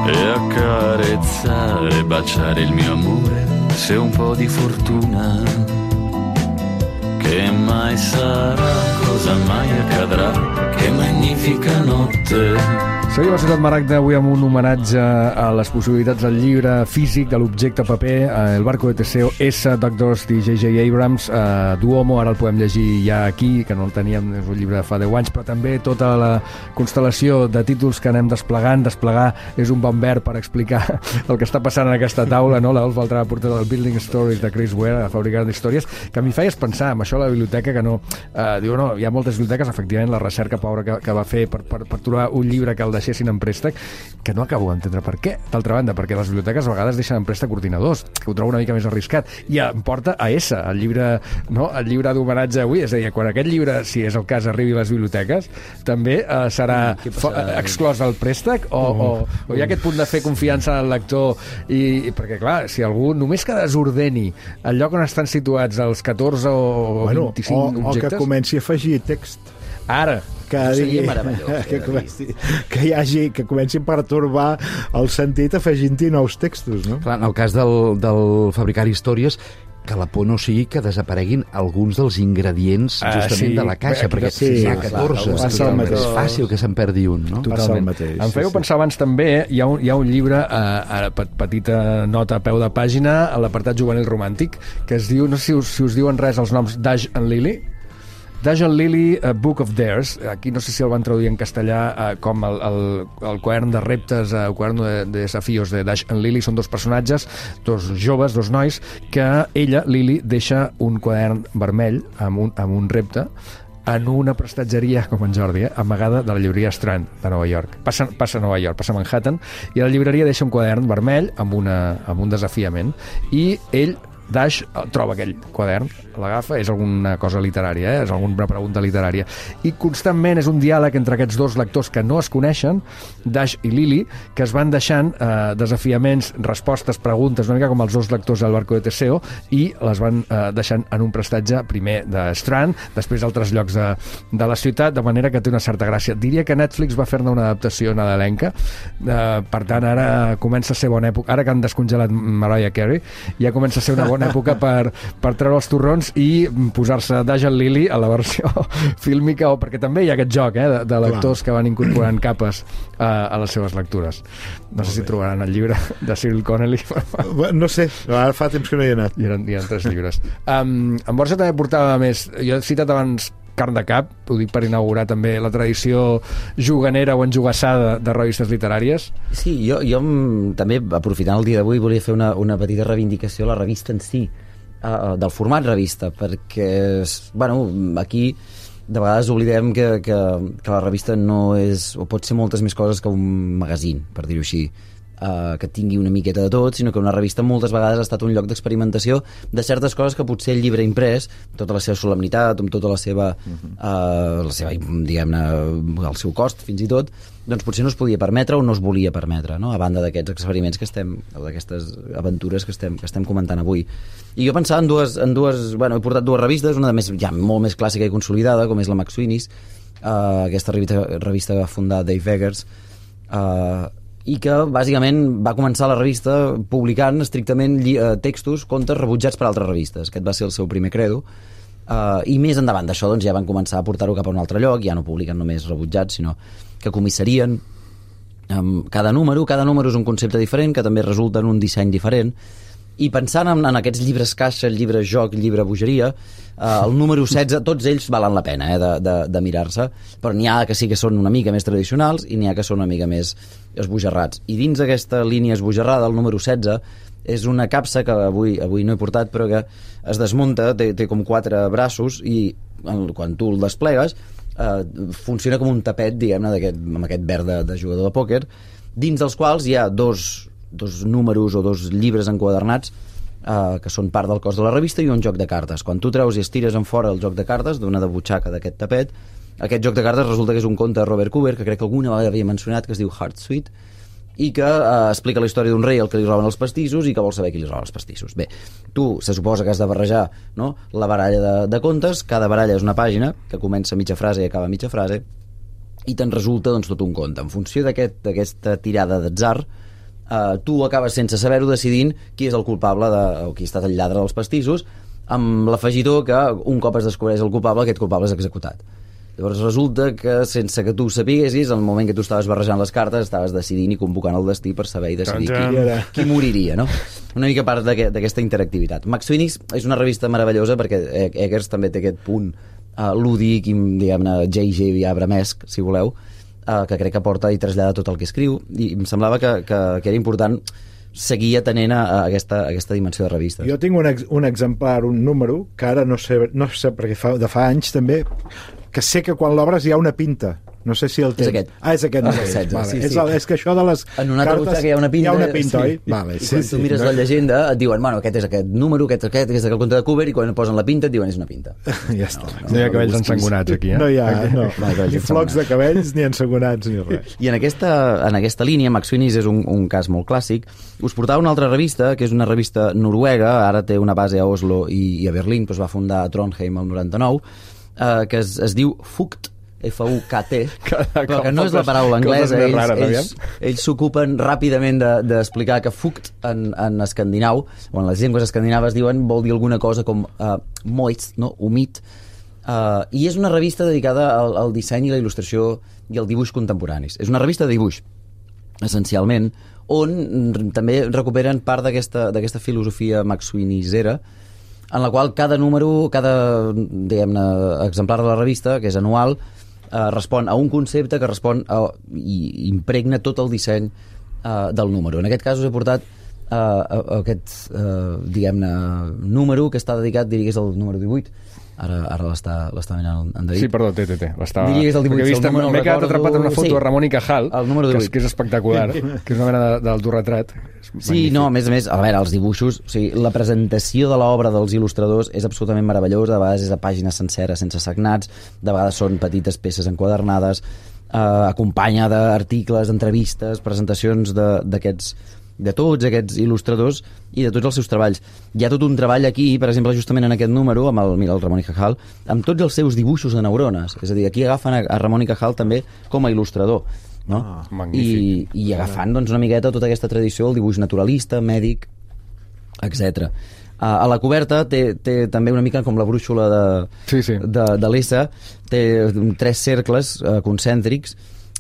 e accarezzare, baciare il mio amore se ho un po' di fortuna. Che mai sarà, cosa mai accadrà, che magnifica notte. Seguim a Ciutat Maragda avui amb un homenatge a les possibilitats del llibre físic, de l'objecte paper, El barco de Teseo, S, Doug Dorst i J J Abrams, eh, Duomo, ara el podem llegir ja aquí, que no el teníem, és un llibre de fa deu anys, però també tota la constel·lació de títols que anem desplegant. Desplegar és un bon verb per explicar el que està passant en aquesta taula, no? L'Alf Valtrà portat del Building Stories de Chris Ware, a fabricant d'històries, que a mi feies pensar amb això a la biblioteca, que no... Eh, diu, no, hi ha moltes biblioteques, efectivament, la recerca pobra que, que va fer per, per, per trobar un llibre que el deixessin en préstec, que no acabo d'entendre per què. D'altra banda, perquè les biblioteques a vegades deixen en préstec ordinadors, que ho trobo una mica més arriscat, i em porta a S, el llibre, no? El llibre d'homenatge avui, és a dir, quan aquest llibre, si és el cas, arribi a les biblioteques, també eh, serà exclòs el préstec, o, o, o hi ha aquest punt de fer confiança en el lector, i, i perquè, clar, si algú només que desordeni el lloc on estan situats els catorze o bueno, vint-i-cinc o, objectes... O que comenci a afegir text. Ara, que, digui, que, comenci, que, hi hagi, que comenci a pertorbar el sentit afegint-hi nous textos, no? Clar, en el cas del, del fabricar històries, que la por no sigui que desapareguin alguns dels ingredients justament uh, sí. de la caixa, perquè sí, hi ha catorze, clar, és fàcil que se'n perdi un, no? Passa el mateix. Em fèieu sí, pensar abans també, hi ha un, hi ha un llibre, eh, petita nota a peu de pàgina, a l'apartat juvenil romàntic, que es diu, no sé si us, si us diuen res els noms, Dash and Lily. Dash and Lily, a Book of Dares, aquí no sé si el van traduir en castellà eh, com el, el, el quadern de reptes, el quadern de, de desafios de Dash and Lily. Són dos personatges, dos joves, dos nois, que ella, Lily, deixa un quadern vermell amb un, amb un repte en una prestatgeria, com en Jordi, eh, amagada de la llibreria Strand de Nova York. Passa, passa a Nova York, passa a Manhattan, i a la llibreria deixa un quadern vermell amb, una, amb un desafiament, i ell, Dash, troba aquell quadern, l'agafa, és alguna cosa literària, eh? És alguna pregunta literària, i constantment és un diàleg entre aquests dos lectors que no es coneixen, Dash i Lily, que es van deixant eh, desafiaments, respostes, preguntes, una mica com els dos lectors del barco de Teseo, i les van eh, deixant en un prestatge, primer de Strand, després d'altres llocs de, de la ciutat, de manera que té una certa gràcia. Diria que Netflix va fer-ne una adaptació nadalenca, eh, per tant ara comença a ser bona època, ara que han descongelat Mariah Carey, ja comença a ser una bona època per, per treure els torrons i posar-se Dash and Lily a la versió fílmica, o perquè també hi ha aquest joc eh, de, de lectors Clar. que van incorporant capes a, a les seves lectures. No Molt sé si bé. trobaran el llibre de Cyril Connelly. No sé, ara fa temps que no hi he anat. Hi ha, hi ha tres llibres. Um, en Borja també portava més, jo he citat abans Carn de Cap, ho dic per inaugurar també la tradició juganera o enjugassada de revistes literàries. Sí, jo, jo també, aprofitant el dia d'avui, volia fer una, una petita reivindicació a la revista en si, uh, del format revista, perquè, bueno, aquí de vegades oblidem que, que, que la revista no és, o pot ser moltes més coses que un magazín, per dir-ho així, uh, que tingui una miqueta de tot, sinó que una revista moltes vegades ha estat un lloc d'experimentació de certes coses que potser el llibre imprès, amb tota la seva solemnitat, amb tota la seva, uh, la seva, diguem-ne, el seu cost, fins i tot, doncs potser no es podia permetre o no es volia permetre, no? A banda d'aquests experiments que estem, d'aquestes aventures que estem, que estem comentant avui. I jo pensava en dues, en dues, bueno, he portat dues revistes, una de més, ja molt més clàssica i consolidada, com és la McSweeney's, uh, aquesta revista, revista que va fundar Dave Eggers, uh, i que bàsicament va començar la revista publicant estrictament uh, textos, contes rebutjats per altres revistes. Aquest va ser el seu primer credo. Uh, I més endavant d'això doncs, ja van començar a portar-ho cap a un altre lloc, ja no publiquen només rebutjats, sinó que comissarien um, cada número. Cada número és un concepte diferent, que també resulta en un disseny diferent, I pensant en, en aquests llibres caixa, el llibre joc, el llibre bogeria, eh, el número setze, tots ells valen la pena eh, de, de, de mirar-se, però n'hi ha que sí que són una mica més tradicionals i n'hi ha que són una mica més esbojarrats. I dins aquesta línia esbojarrada, el número setze, és una capsa que avui, avui no he portat, però que es desmunta, té, té com quatre braços i quan tu el desplegues eh, funciona com un tapet, diguem-ne, amb aquest verd de, de jugador de pòquer, dins dels quals hi ha dos dos números o dos llibres enquadernats eh, que són part del cos de la revista i un joc de cartes. Quan tu treus i estires en fora el joc de cartes d'una de butxaca d'aquest tapet, aquest joc de cartes resulta que és un conte de Robert Cooper, que crec que alguna vegada havia mencionat, que es diu Heart Sweet, i que eh, explica la història d'un rei al que li roben els pastissos i que vol saber qui li roba els pastissos. Bé, tu se suposa que has de barrejar, no?, la baralla de, de contes, cada baralla és una pàgina que comença mitja frase i acaba mitja frase, i te'n resulta doncs, tot un conte. En funció d'aquest, d'aquesta tirada d'atzar, Uh, tu acabes sense saber-ho decidint qui és el culpable de, o qui ha estat el lladre dels pastissos, amb l'afegitó que un cop es descobreix el culpable, aquest culpable és executat. Llavors resulta que sense que tu ho sapiguessis, al moment que tu estaves barrejant les cartes estaves decidint i convocant el destí per saber i decidir qui, qui moriria, no? Una mica part d'aquesta interactivitat. Max Phoenix és una revista meravellosa perquè Eggers també té aquest punt uh, lúdic i, diguem-ne, J J abramesc, si voleu, Uh, que crec que porta i trasllada tot el que escriu, i em semblava que, que, que era important seguir atenent a, a, aquesta, a aquesta dimensió de revistes. Jo tinc un, ex, un exemplar, un número, que ara no sé, no sé perquè fa, de fa anys també, que sé que quan l'obres hi ha una pinta. No sé si el tens. És aquest. Ah, és aquest. Ah, no setze, vale. sí, és, sí. el, és que això de les en una altra cartes... hi ha una pinta. Hi ha una pinta, sí. oi? Vale, I sí, quan sí, tu mires no? la llegenda et diuen, bueno, aquest és aquest número, aquest, aquest, aquest és el conte de Cooper, i quan posen la pinta et diuen és una pinta. Ja està. No, no, no hi ha cabells ensangonats aquí, eh? No hi ha, no. No, Ni flocs de cabells, ni ensangonats, ni res. I en aquesta, en aquesta línia, Max Phoenix és un, un cas molt clàssic. Us portava una altra revista, que és una revista noruega, ara té una base a Oslo i, i a Berlín, però es va fundar a Trondheim el noranta-nou, eh, que es, es diu Fukt, F U K T, però que no és la paraula anglesa. Ells, ells, ells s'ocupen ràpidament d'explicar de, que Fukt en, en escandinau, o en les llengües escandinaves diuen, vol dir alguna cosa com uh, moist, no? Humit, uh, i és una revista dedicada al, al disseny i la il·lustració i al dibuix contemporanis. És una revista de dibuix, essencialment, on també recuperen part d'aquesta d'aquesta filosofia maxwinizera, en la qual cada número, cada, diguem-ne, exemplar de la revista, que és anual, eh, respon a un concepte que respon a, i impregna tot el disseny eh, del número. En aquest cas us he portat eh, a, a aquest, eh, diguem-ne, número que està dedicat, diria que és el número divuit. Ara, ara l'està mirant en David. Sí, perdó, té, té, té. Diria que és el divuit. Vist, no m'he quedat atrapat en una foto sí, de Ramon i Cajal, que és, que és espectacular, que és una mena d'autoretrat. Sí, no, a més a més, a veure, els dibuixos, o sigui, la presentació de l'obra dels il·lustradors és absolutament meravellosa, de vegades és a pàgines senceres sense sagnats, de vegades són petites peces enquadernades, eh, acompanya d'articles, entrevistes, presentacions d'aquests de tots aquests il·lustradors i de tots els seus treballs. Hi ha tot un treball aquí, per exemple, justament en aquest número, amb el, mira, el Ramon i Cajal, amb tots els seus dibuixos de neurones. És a dir, aquí agafen a, a Ramon i Cajal també com a il·lustrador, no? Ah, I, i agafant doncs, una miqueta tota aquesta tradició, el dibuix naturalista, mèdic, etcètera. A, a la coberta té, té també una mica com la brúixola de, sí, sí. de, de l'Essa, té tres cercles eh, concèntrics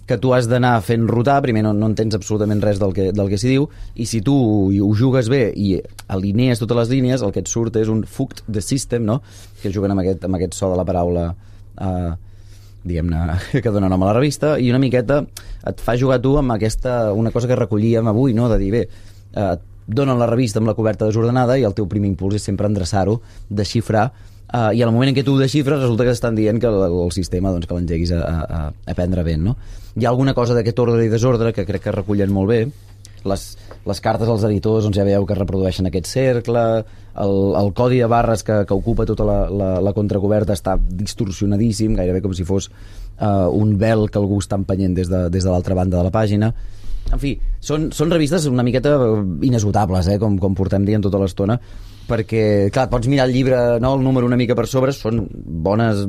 que tu has d'anar fent rotar, primer no, no entens absolutament res del que, del que s'hi diu, i si tu ho jugues bé i alinees totes les línies, el que et surt és un Fukt the System, no? Que juguen amb aquest, amb aquest so de la paraula eh, diguem-ne, que dona nom a la revista, i una miqueta et fa jugar tu amb aquesta, una cosa que recollíem avui, no? De dir, bé, eh, donen la revista amb la coberta desordenada i el teu primer impuls és sempre endreçar-ho, desxifrar, Uh, i al moment en què tu ho desxifres resulta que estan dient que el, el sistema doncs, que l'engeguis a, a, a prendre vent, no? Hi ha alguna cosa d'aquest ordre i desordre que crec que recullen molt bé. Les, les cartes als editors doncs, ja veieu que reprodueixen aquest cercle, el, el codi de barres que, que ocupa tota la, la, la contracoberta està distorsionadíssim, gairebé com si fos uh, un vel que algú està empenyent des de, des de l'altra banda de la pàgina. En fi, són, són revistes una miqueta inesgotables, eh, com, com portem dient tota l'estona, perquè, clar, pots mirar el llibre, no, el número una mica per sobre, són bones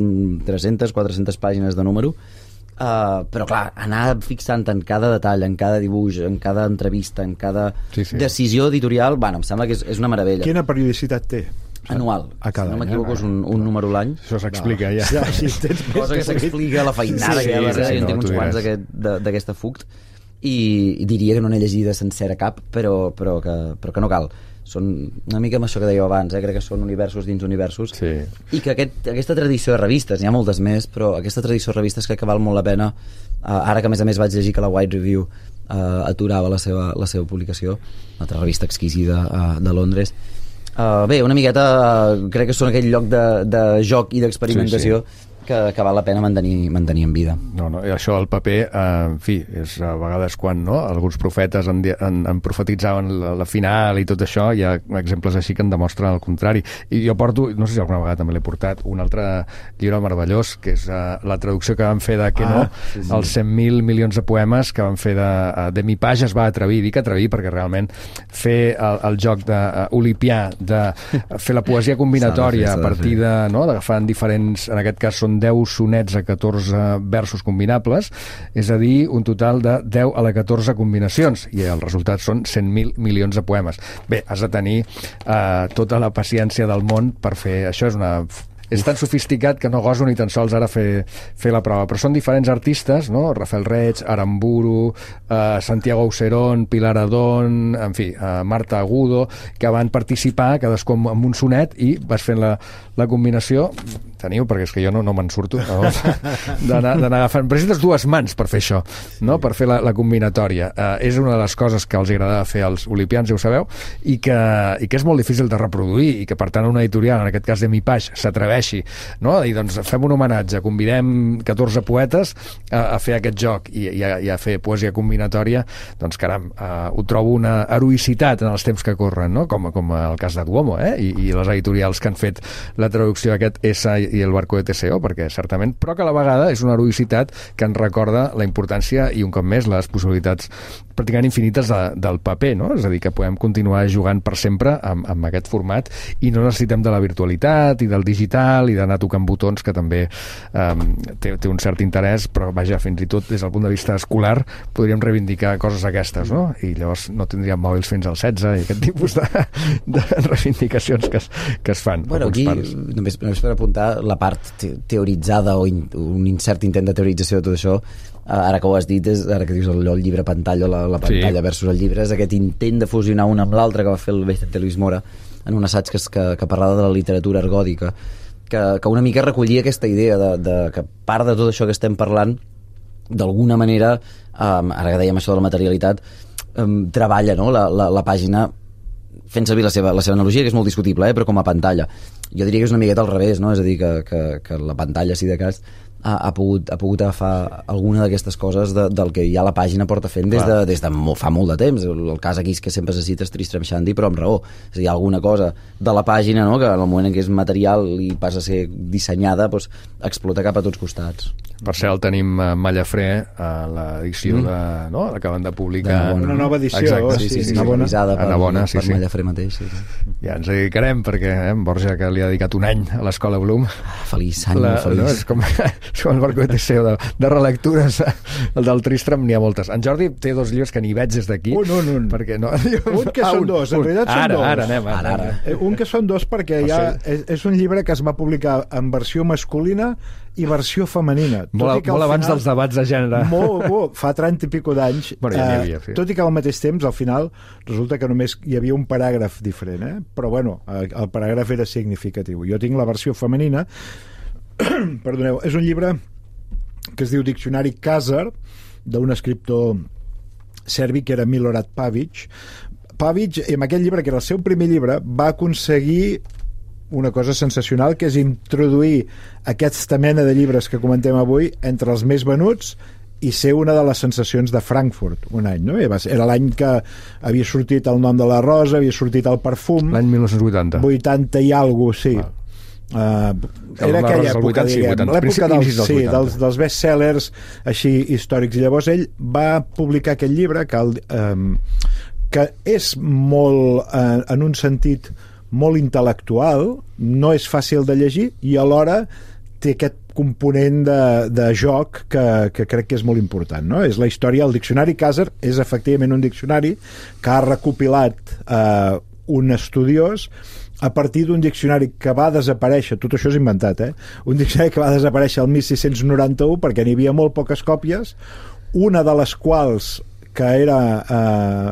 tres-centes, quatre-centes pàgines de número, uh, però clar, anar fixant en cada detall, en cada dibuix, en cada entrevista, en cada sí, sí. decisió editorial, bueno, em sembla que és, és una meravella. Quina periodicitat té? Anual, a cada si no m'equivoco, és un, un número a l'any. Això s'explica, no. ja. ja si tens cosa que s'explica, la feinada sí, que hi ha sí, darrere, sí, jo en no, tinc uns quants d'aquesta Fukt. i, i diria que no n'he llegida sencera cap, però, però, que, però que no cal. Són una mica amb això que dèieu abans, eh? Crec que són universos dins universos, sí. I que aquest, aquesta tradició de revistes, n'hi ha moltes més, però aquesta tradició de revistes crec que val molt la pena, uh, ara que a més a més vaig llegir que la White Review uh, aturava la seva, la seva publicació, una altra revista exquisida uh, de Londres. Uh, bé, una miqueta uh, crec que són aquell lloc de, de joc i d'experimentació, sí, sí. Que, que val la pena mantenir, mantenir en vida. No, no, i això el paper, eh, en fi, és a vegades quan no, alguns profetes en, en, en profetitzaven la, la final i tot això, hi ha exemples així que en demostren el contrari. I jo porto, no sé si alguna vegada també l'he portat, un altre llibre meravellós, que és uh, la traducció que van fer de que ah, no, sí, sí. els cent mil milions de poemes que van fer de, uh, de Mi Page es va atrevir, dic atrevir perquè realment fer el, el joc d'olipià, de, uh, de fer la poesia combinatòria fer, a partir de, no, d'agafar diferents, en aquest cas són deu sonets a catorze versos combinables, és a dir, un total de deu a la catorze combinacions, i el resultat són cent mil milions de poemes. Bé, has de tenir eh, tota la paciència del món per fer... Això és una... És tan sofisticat que no goso ni tan sols ara fer, fer la prova, però són diferents artistes, no? Rafael Reig, Aramburu, eh, Santiago Auserón, Pilar Adón, en fi, eh, Marta Agudo, que van participar cadascú amb un sonet i vas fent la, la combinació. Teniu, perquè és que jo no, no me'n surto, no? d'anar agafant. Però necessites dues mans per fer això, no? Per fer la, la combinatòria. Eh, és una de les coses que els agradava fer als olipians, ja ho sabeu, i que, i que és molt difícil de reproduir, i que per tant una editorial, en aquest cas de Mi Page, s'atreveixi, no? I doncs fem un homenatge, convidem catorze poetes a, a fer aquest joc i, i, a, i a fer poesia combinatòria, doncs caram, eh, ho trobo una heroïcitat en els temps que corren, no? Com, com el cas de Duomo, eh? I, i les editorials que han fet la traducció d'aquest S i el barco de Teseo, perquè certament, però que a la vegada és una heroïcitat que ens recorda la importància i un cop més les possibilitats pràcticament infinites de, del paper, no? És a dir, que podem continuar jugant per sempre amb, amb aquest format i no necessitem de la virtualitat i del digital i d'anar tocant botons, que també um, té, té un cert interès, però vaja, fins i tot des del punt de vista escolar podríem reivindicar coses aquestes, no? I llavors no tindríem mòbils fins al setze i aquest tipus de, de reivindicacions que es, que es fan. Bueno, aquí, només, només per apuntar la part te teoritzada o in, un incert intent de teorització de tot això, ara que ho has dit, és, ara que dius el, el llibre pantalla, la, la pantalla sí. versus el llibre, és aquest intent de fusionar un amb l'altre que va fer el Vicente Luis Mora en un assaig que, que, que parlava de la literatura ergòdica, que, que una mica recollia aquesta idea de, de que part de tot això que estem parlant d'alguna manera, um, ara que dèiem això de la materialitat, um, treballa, no? la, la, la pàgina fent servir la seva, la seva analogia, que és molt discutible, eh? Però com a pantalla. Jo diria que és una miqueta al revés, no? És a dir, que, que, que la pantalla, si de cas, ha, ha, pogut, ha pogut agafar alguna d'aquestes coses de, del que ja la pàgina porta fent des de, des de molt, fa molt de temps. El, el cas aquí és que sempre se cita Tristram Shandy, però amb raó. És a dir, hi ha alguna cosa de la pàgina, no? Que en el moment en què és material i passa a ser dissenyada, doncs, explota cap a tots costats. Per cert, tenim a Mallafré a l'edició mm. de... no? L'acaben de publicar. De una nova edició. Exacte. Sí, sí, sí, sí, una bona. Per, bona, sí, per sí. Mallafré mateix. Sí, sí. Ja ens dedicarem, perquè eh, Borja, que li ha dedicat un any a l'Escola Bloom. Ah, feliç, any la, molt feliç. No, és com, com el barco de Teseo, de, de relectures. El del Tristram n'hi ha moltes. En Jordi té dos llibres que ni veig des d'aquí. Un, un, un. Perquè no, un que ah, són un, dos, en un. realitat són ara, dos. Ara, anem, ara, ara. ara. Un que són dos perquè ja és, és un llibre que es va publicar en versió masculina i versió femenina. Molt, molt abans final, dels debats de gènere. Molt, molt, fa trenta i pico d'anys. Bueno, ja havia, sí. Tot i que al mateix temps, al final, resulta que només hi havia un paràgraf diferent, eh? Però bueno, el paràgraf era significatiu. Jo tinc la versió femenina. Perdoneu, és un llibre que es diu Diccionari Khazar, d'un escriptor serbi que era Milorad Pavic. Pavic, amb aquest llibre, que era el seu primer llibre, va aconseguir una cosa sensacional, que és introduir aquesta mena de llibres que comentem avui entre els més venuts i ser una de les sensacions de Frankfurt un any, no? Era l'any que havia sortit El nom de la rosa, havia sortit El perfum, l'any mil nou-cents vuitanta vuitanta i alguna cosa, sí. Uh, era aquella època, vuitanta, diguem, sí, l'època dels, dels, sí, dels, dels bestsellers així històrics, i llavors ell va publicar aquest llibre que, el, um, que és molt, uh, en un sentit molt intel·lectual, no és fàcil de llegir i alhora té aquest component de, de joc que, que crec que és molt important, no? És la història, el Diccionari Khazar és efectivament un diccionari que ha recopilat eh, un estudiós a partir d'un diccionari que va desaparèixer, tot això és inventat, eh? Un diccionari que va desaparèixer el mil sis-cents noranta-u perquè n'hi havia molt poques còpies, una de les quals que era eh,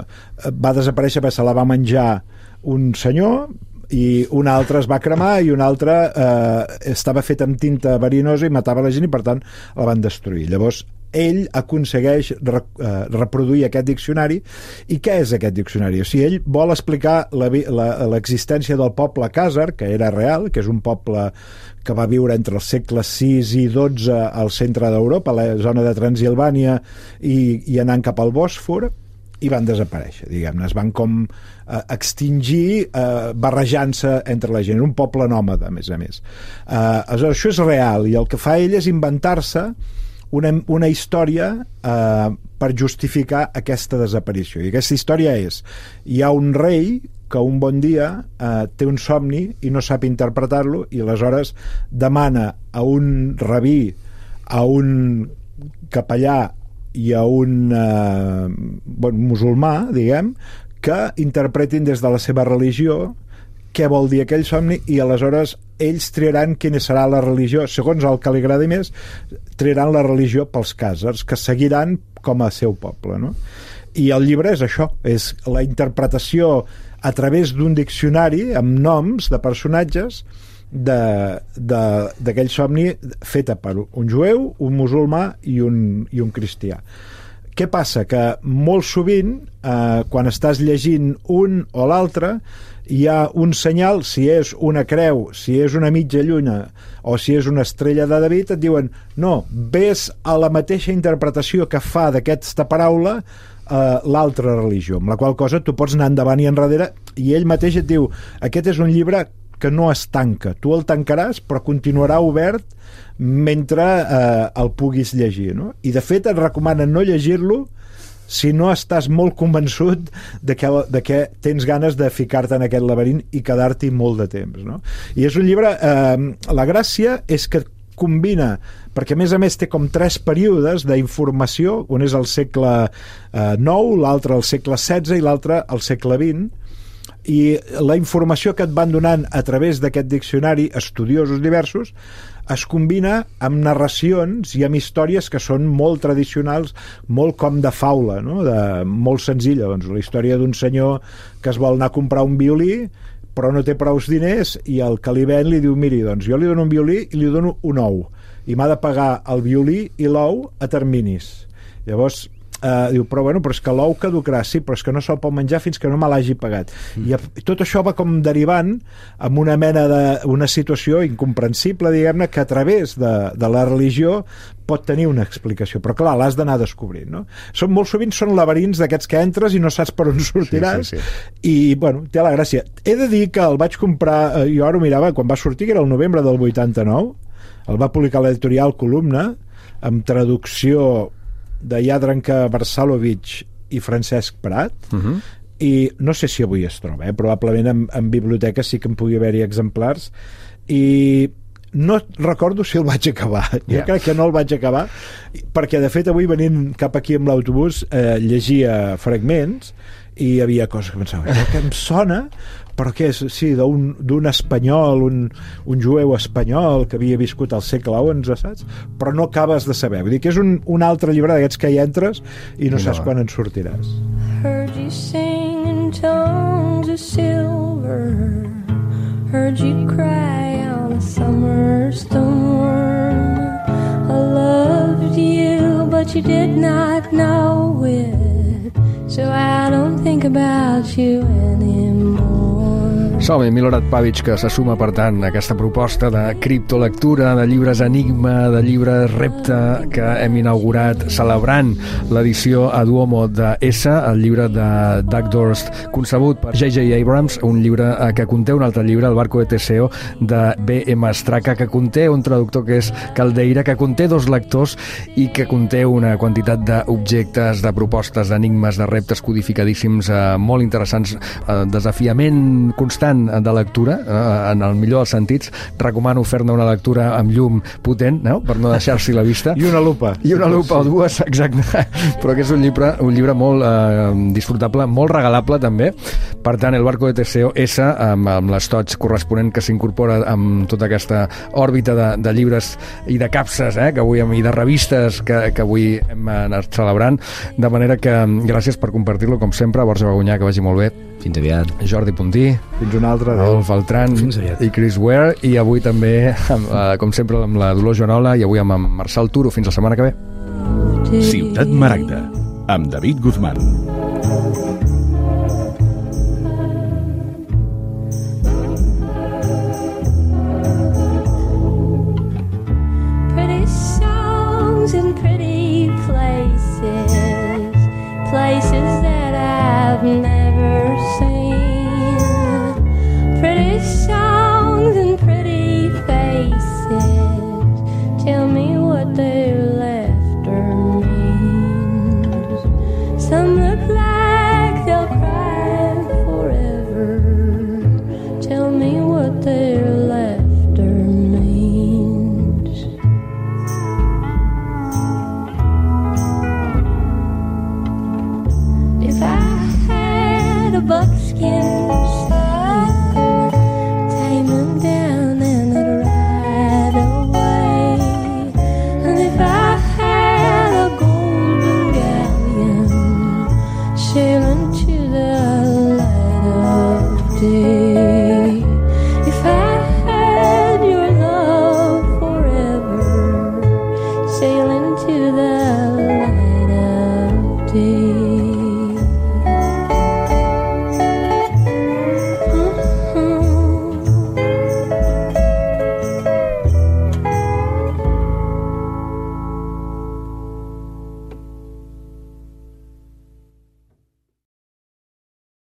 va desaparèixer perquè se la va menjar un senyor i un altre es va cremar i un altre eh, estava fet amb tinta verinosa i matava la gent i per tant la van destruir. Llavors ell aconsegueix re, eh, reproduir aquest diccionari. I què és aquest diccionari? O sigui, ell vol explicar l'existència del poble Khàzar, que era real, que és un poble que va viure entre els segles sis i dotze al centre d'Europa, a la zona de Transilvània i, i anant cap al Bòsfor, i van desaparèixer, diguem-ne, es van com eh, extingir eh, barrejant-se entre la gent, un poble nòmada, a més a més. Eh, aleshores, això és real, i el que fa ell és inventar-se una, una història eh, per justificar aquesta desaparició, i aquesta història és, hi ha un rei que un bon dia eh, té un somni i no sap interpretar-lo, i aleshores demana a un rabí, a un capellà i a un eh, bon, musulmà, diguem, que interpretin des de la seva religió què vol dir aquell somni, i aleshores ells triaran quina serà la religió, segons el que li agradi més, triaran la religió pels khàzars, que seguiran com a seu poble, no? I el llibre és això, és la interpretació a través d'un diccionari amb noms de personatges d'aquell somni feta per un jueu, un musulmà i un, i un cristià. Què passa? Que molt sovint, eh, quan estàs llegint un o l'altre, hi ha un senyal, si és una creu, si és una mitja lluna o si és una estrella de David, et diuen no, ves a la mateixa interpretació que fa d'aquesta paraula eh, l'altra religió, amb la qual cosa tu pots anar endavant i enrere, i ell mateix et diu, aquest és un llibre que no es tanca, tu el tancaràs però continuarà obert mentre eh, el puguis llegir, no? I de fet et recomanen no llegir-lo si no estàs molt convençut de que, de que tens ganes de ficar-te en aquest laberint i quedar-t'hi molt de temps, no? I és un llibre, eh, la gràcia és que combina, perquè a més a més té com tres períodes d'informació, un és el segle eh, nou, l'altre al segle setze i l'altre al segle vint, i la informació que et van donant a través d'aquest diccionari, estudiosos diversos, es combina amb narracions i amb històries que són molt tradicionals, molt com de faula, no? De, molt senzilla, doncs, la història d'un senyor que es vol anar a comprar un violí però no té prous diners, i el que li ven li diu, miri, doncs jo li dono un violí i li dono un ou, i m'ha de pagar el violí i l'ou a terminis. Llavors Uh, diu, però bueno, però és que l'ou caducarà, sí, però és que no se'l pot menjar fins que no me l'hagi pagat. Mm. I tot això va com derivant amb una mena de, una situació incomprensible, diguem-ne, que a través de, de la religió pot tenir una explicació, però clar, l'has d'anar descobrint, no? Són, molt sovint són laberints d'aquests que entres i no saps per on sortiràs, sí, sí, sí. I, bueno, té la gràcia. He de dir que el vaig comprar, jo ara ho mirava, quan va sortir, que era el novembre del vuitanta-nou, el va publicar l'editorial Columna, amb traducció de Jadranka Versalovic i Francesc Prat, uh-huh. I no sé si avui es troba, eh? Probablement en, en biblioteca sí que en pugui haver-hi exemplars, i no recordo si el vaig acabar. Jo yeah. crec que no el vaig acabar, perquè de fet avui venint cap aquí amb l'autobús eh, llegia fragments i hi havia coses que pensava, allò que em sona, però què és? Sí, d'un espanyol, un, un jueu espanyol que havia viscut al segle onze, saps? Però no acabes de saber. Vull dir que és un, un altre llibre d'aquests que hi entres i no, no saps quan en sortiràs. Heard you sing in tongues of silver, heard you cry on a summer storm. I loved you, but you did not know it, so I don't think about you anymore. Som-hi, Milorad Pavic, que se suma, per tant, a aquesta proposta de criptolectura, de llibres enigma, de llibres repte, que hem inaugurat celebrant l'edició a Duomo de S, el llibre de Doug Dorst, concebut per J J Abrams, un llibre que conté un altre llibre, El barco de Teseo, de B M Straka, que conté un traductor que és Caldeira, que conté dos lectors i que conté una quantitat d'objectes, de propostes, d'enigmes, de reptes codificadíssims, eh, molt interessants, eh, desafiament constant gran de lectura, eh, en el millor dels sentits. Recomano fer-ne una lectura amb llum potent, no? Per no deixar-s'hi la vista. I una lupa. I una lupa o dues, exacte. Però que és un llibre, un llibre molt eh, disfrutable, molt regalable també. Per tant, El barco de Teseo S, amb, amb l'estoig corresponent que s'incorpora amb tota aquesta òrbita de, de llibres i de capses, eh, que avui, i de revistes que, que avui hem anat celebrant. De manera que gràcies per compartir-lo, com sempre. Borja Bagunyà, que vagi molt bé. Fins aviat. Jordi Puntí. Fins una altra. Adolf Beltran i Chris Ware. I avui també, amb, eh, com sempre, amb la Dolors Joanola i avui amb en Marçal Turo. Fins la setmana que ve. Ciutat Maragda, amb David Guzmán. Pretty songs in pretty places, places that I've never seen. Pretty songs and pretty faces, tell me what their laughter means. Some look like they'll cry forever, tell me what their laughter means. If I had a buckskin stallion, tame him down and I'd ride away. And if I had a golden galleon sailing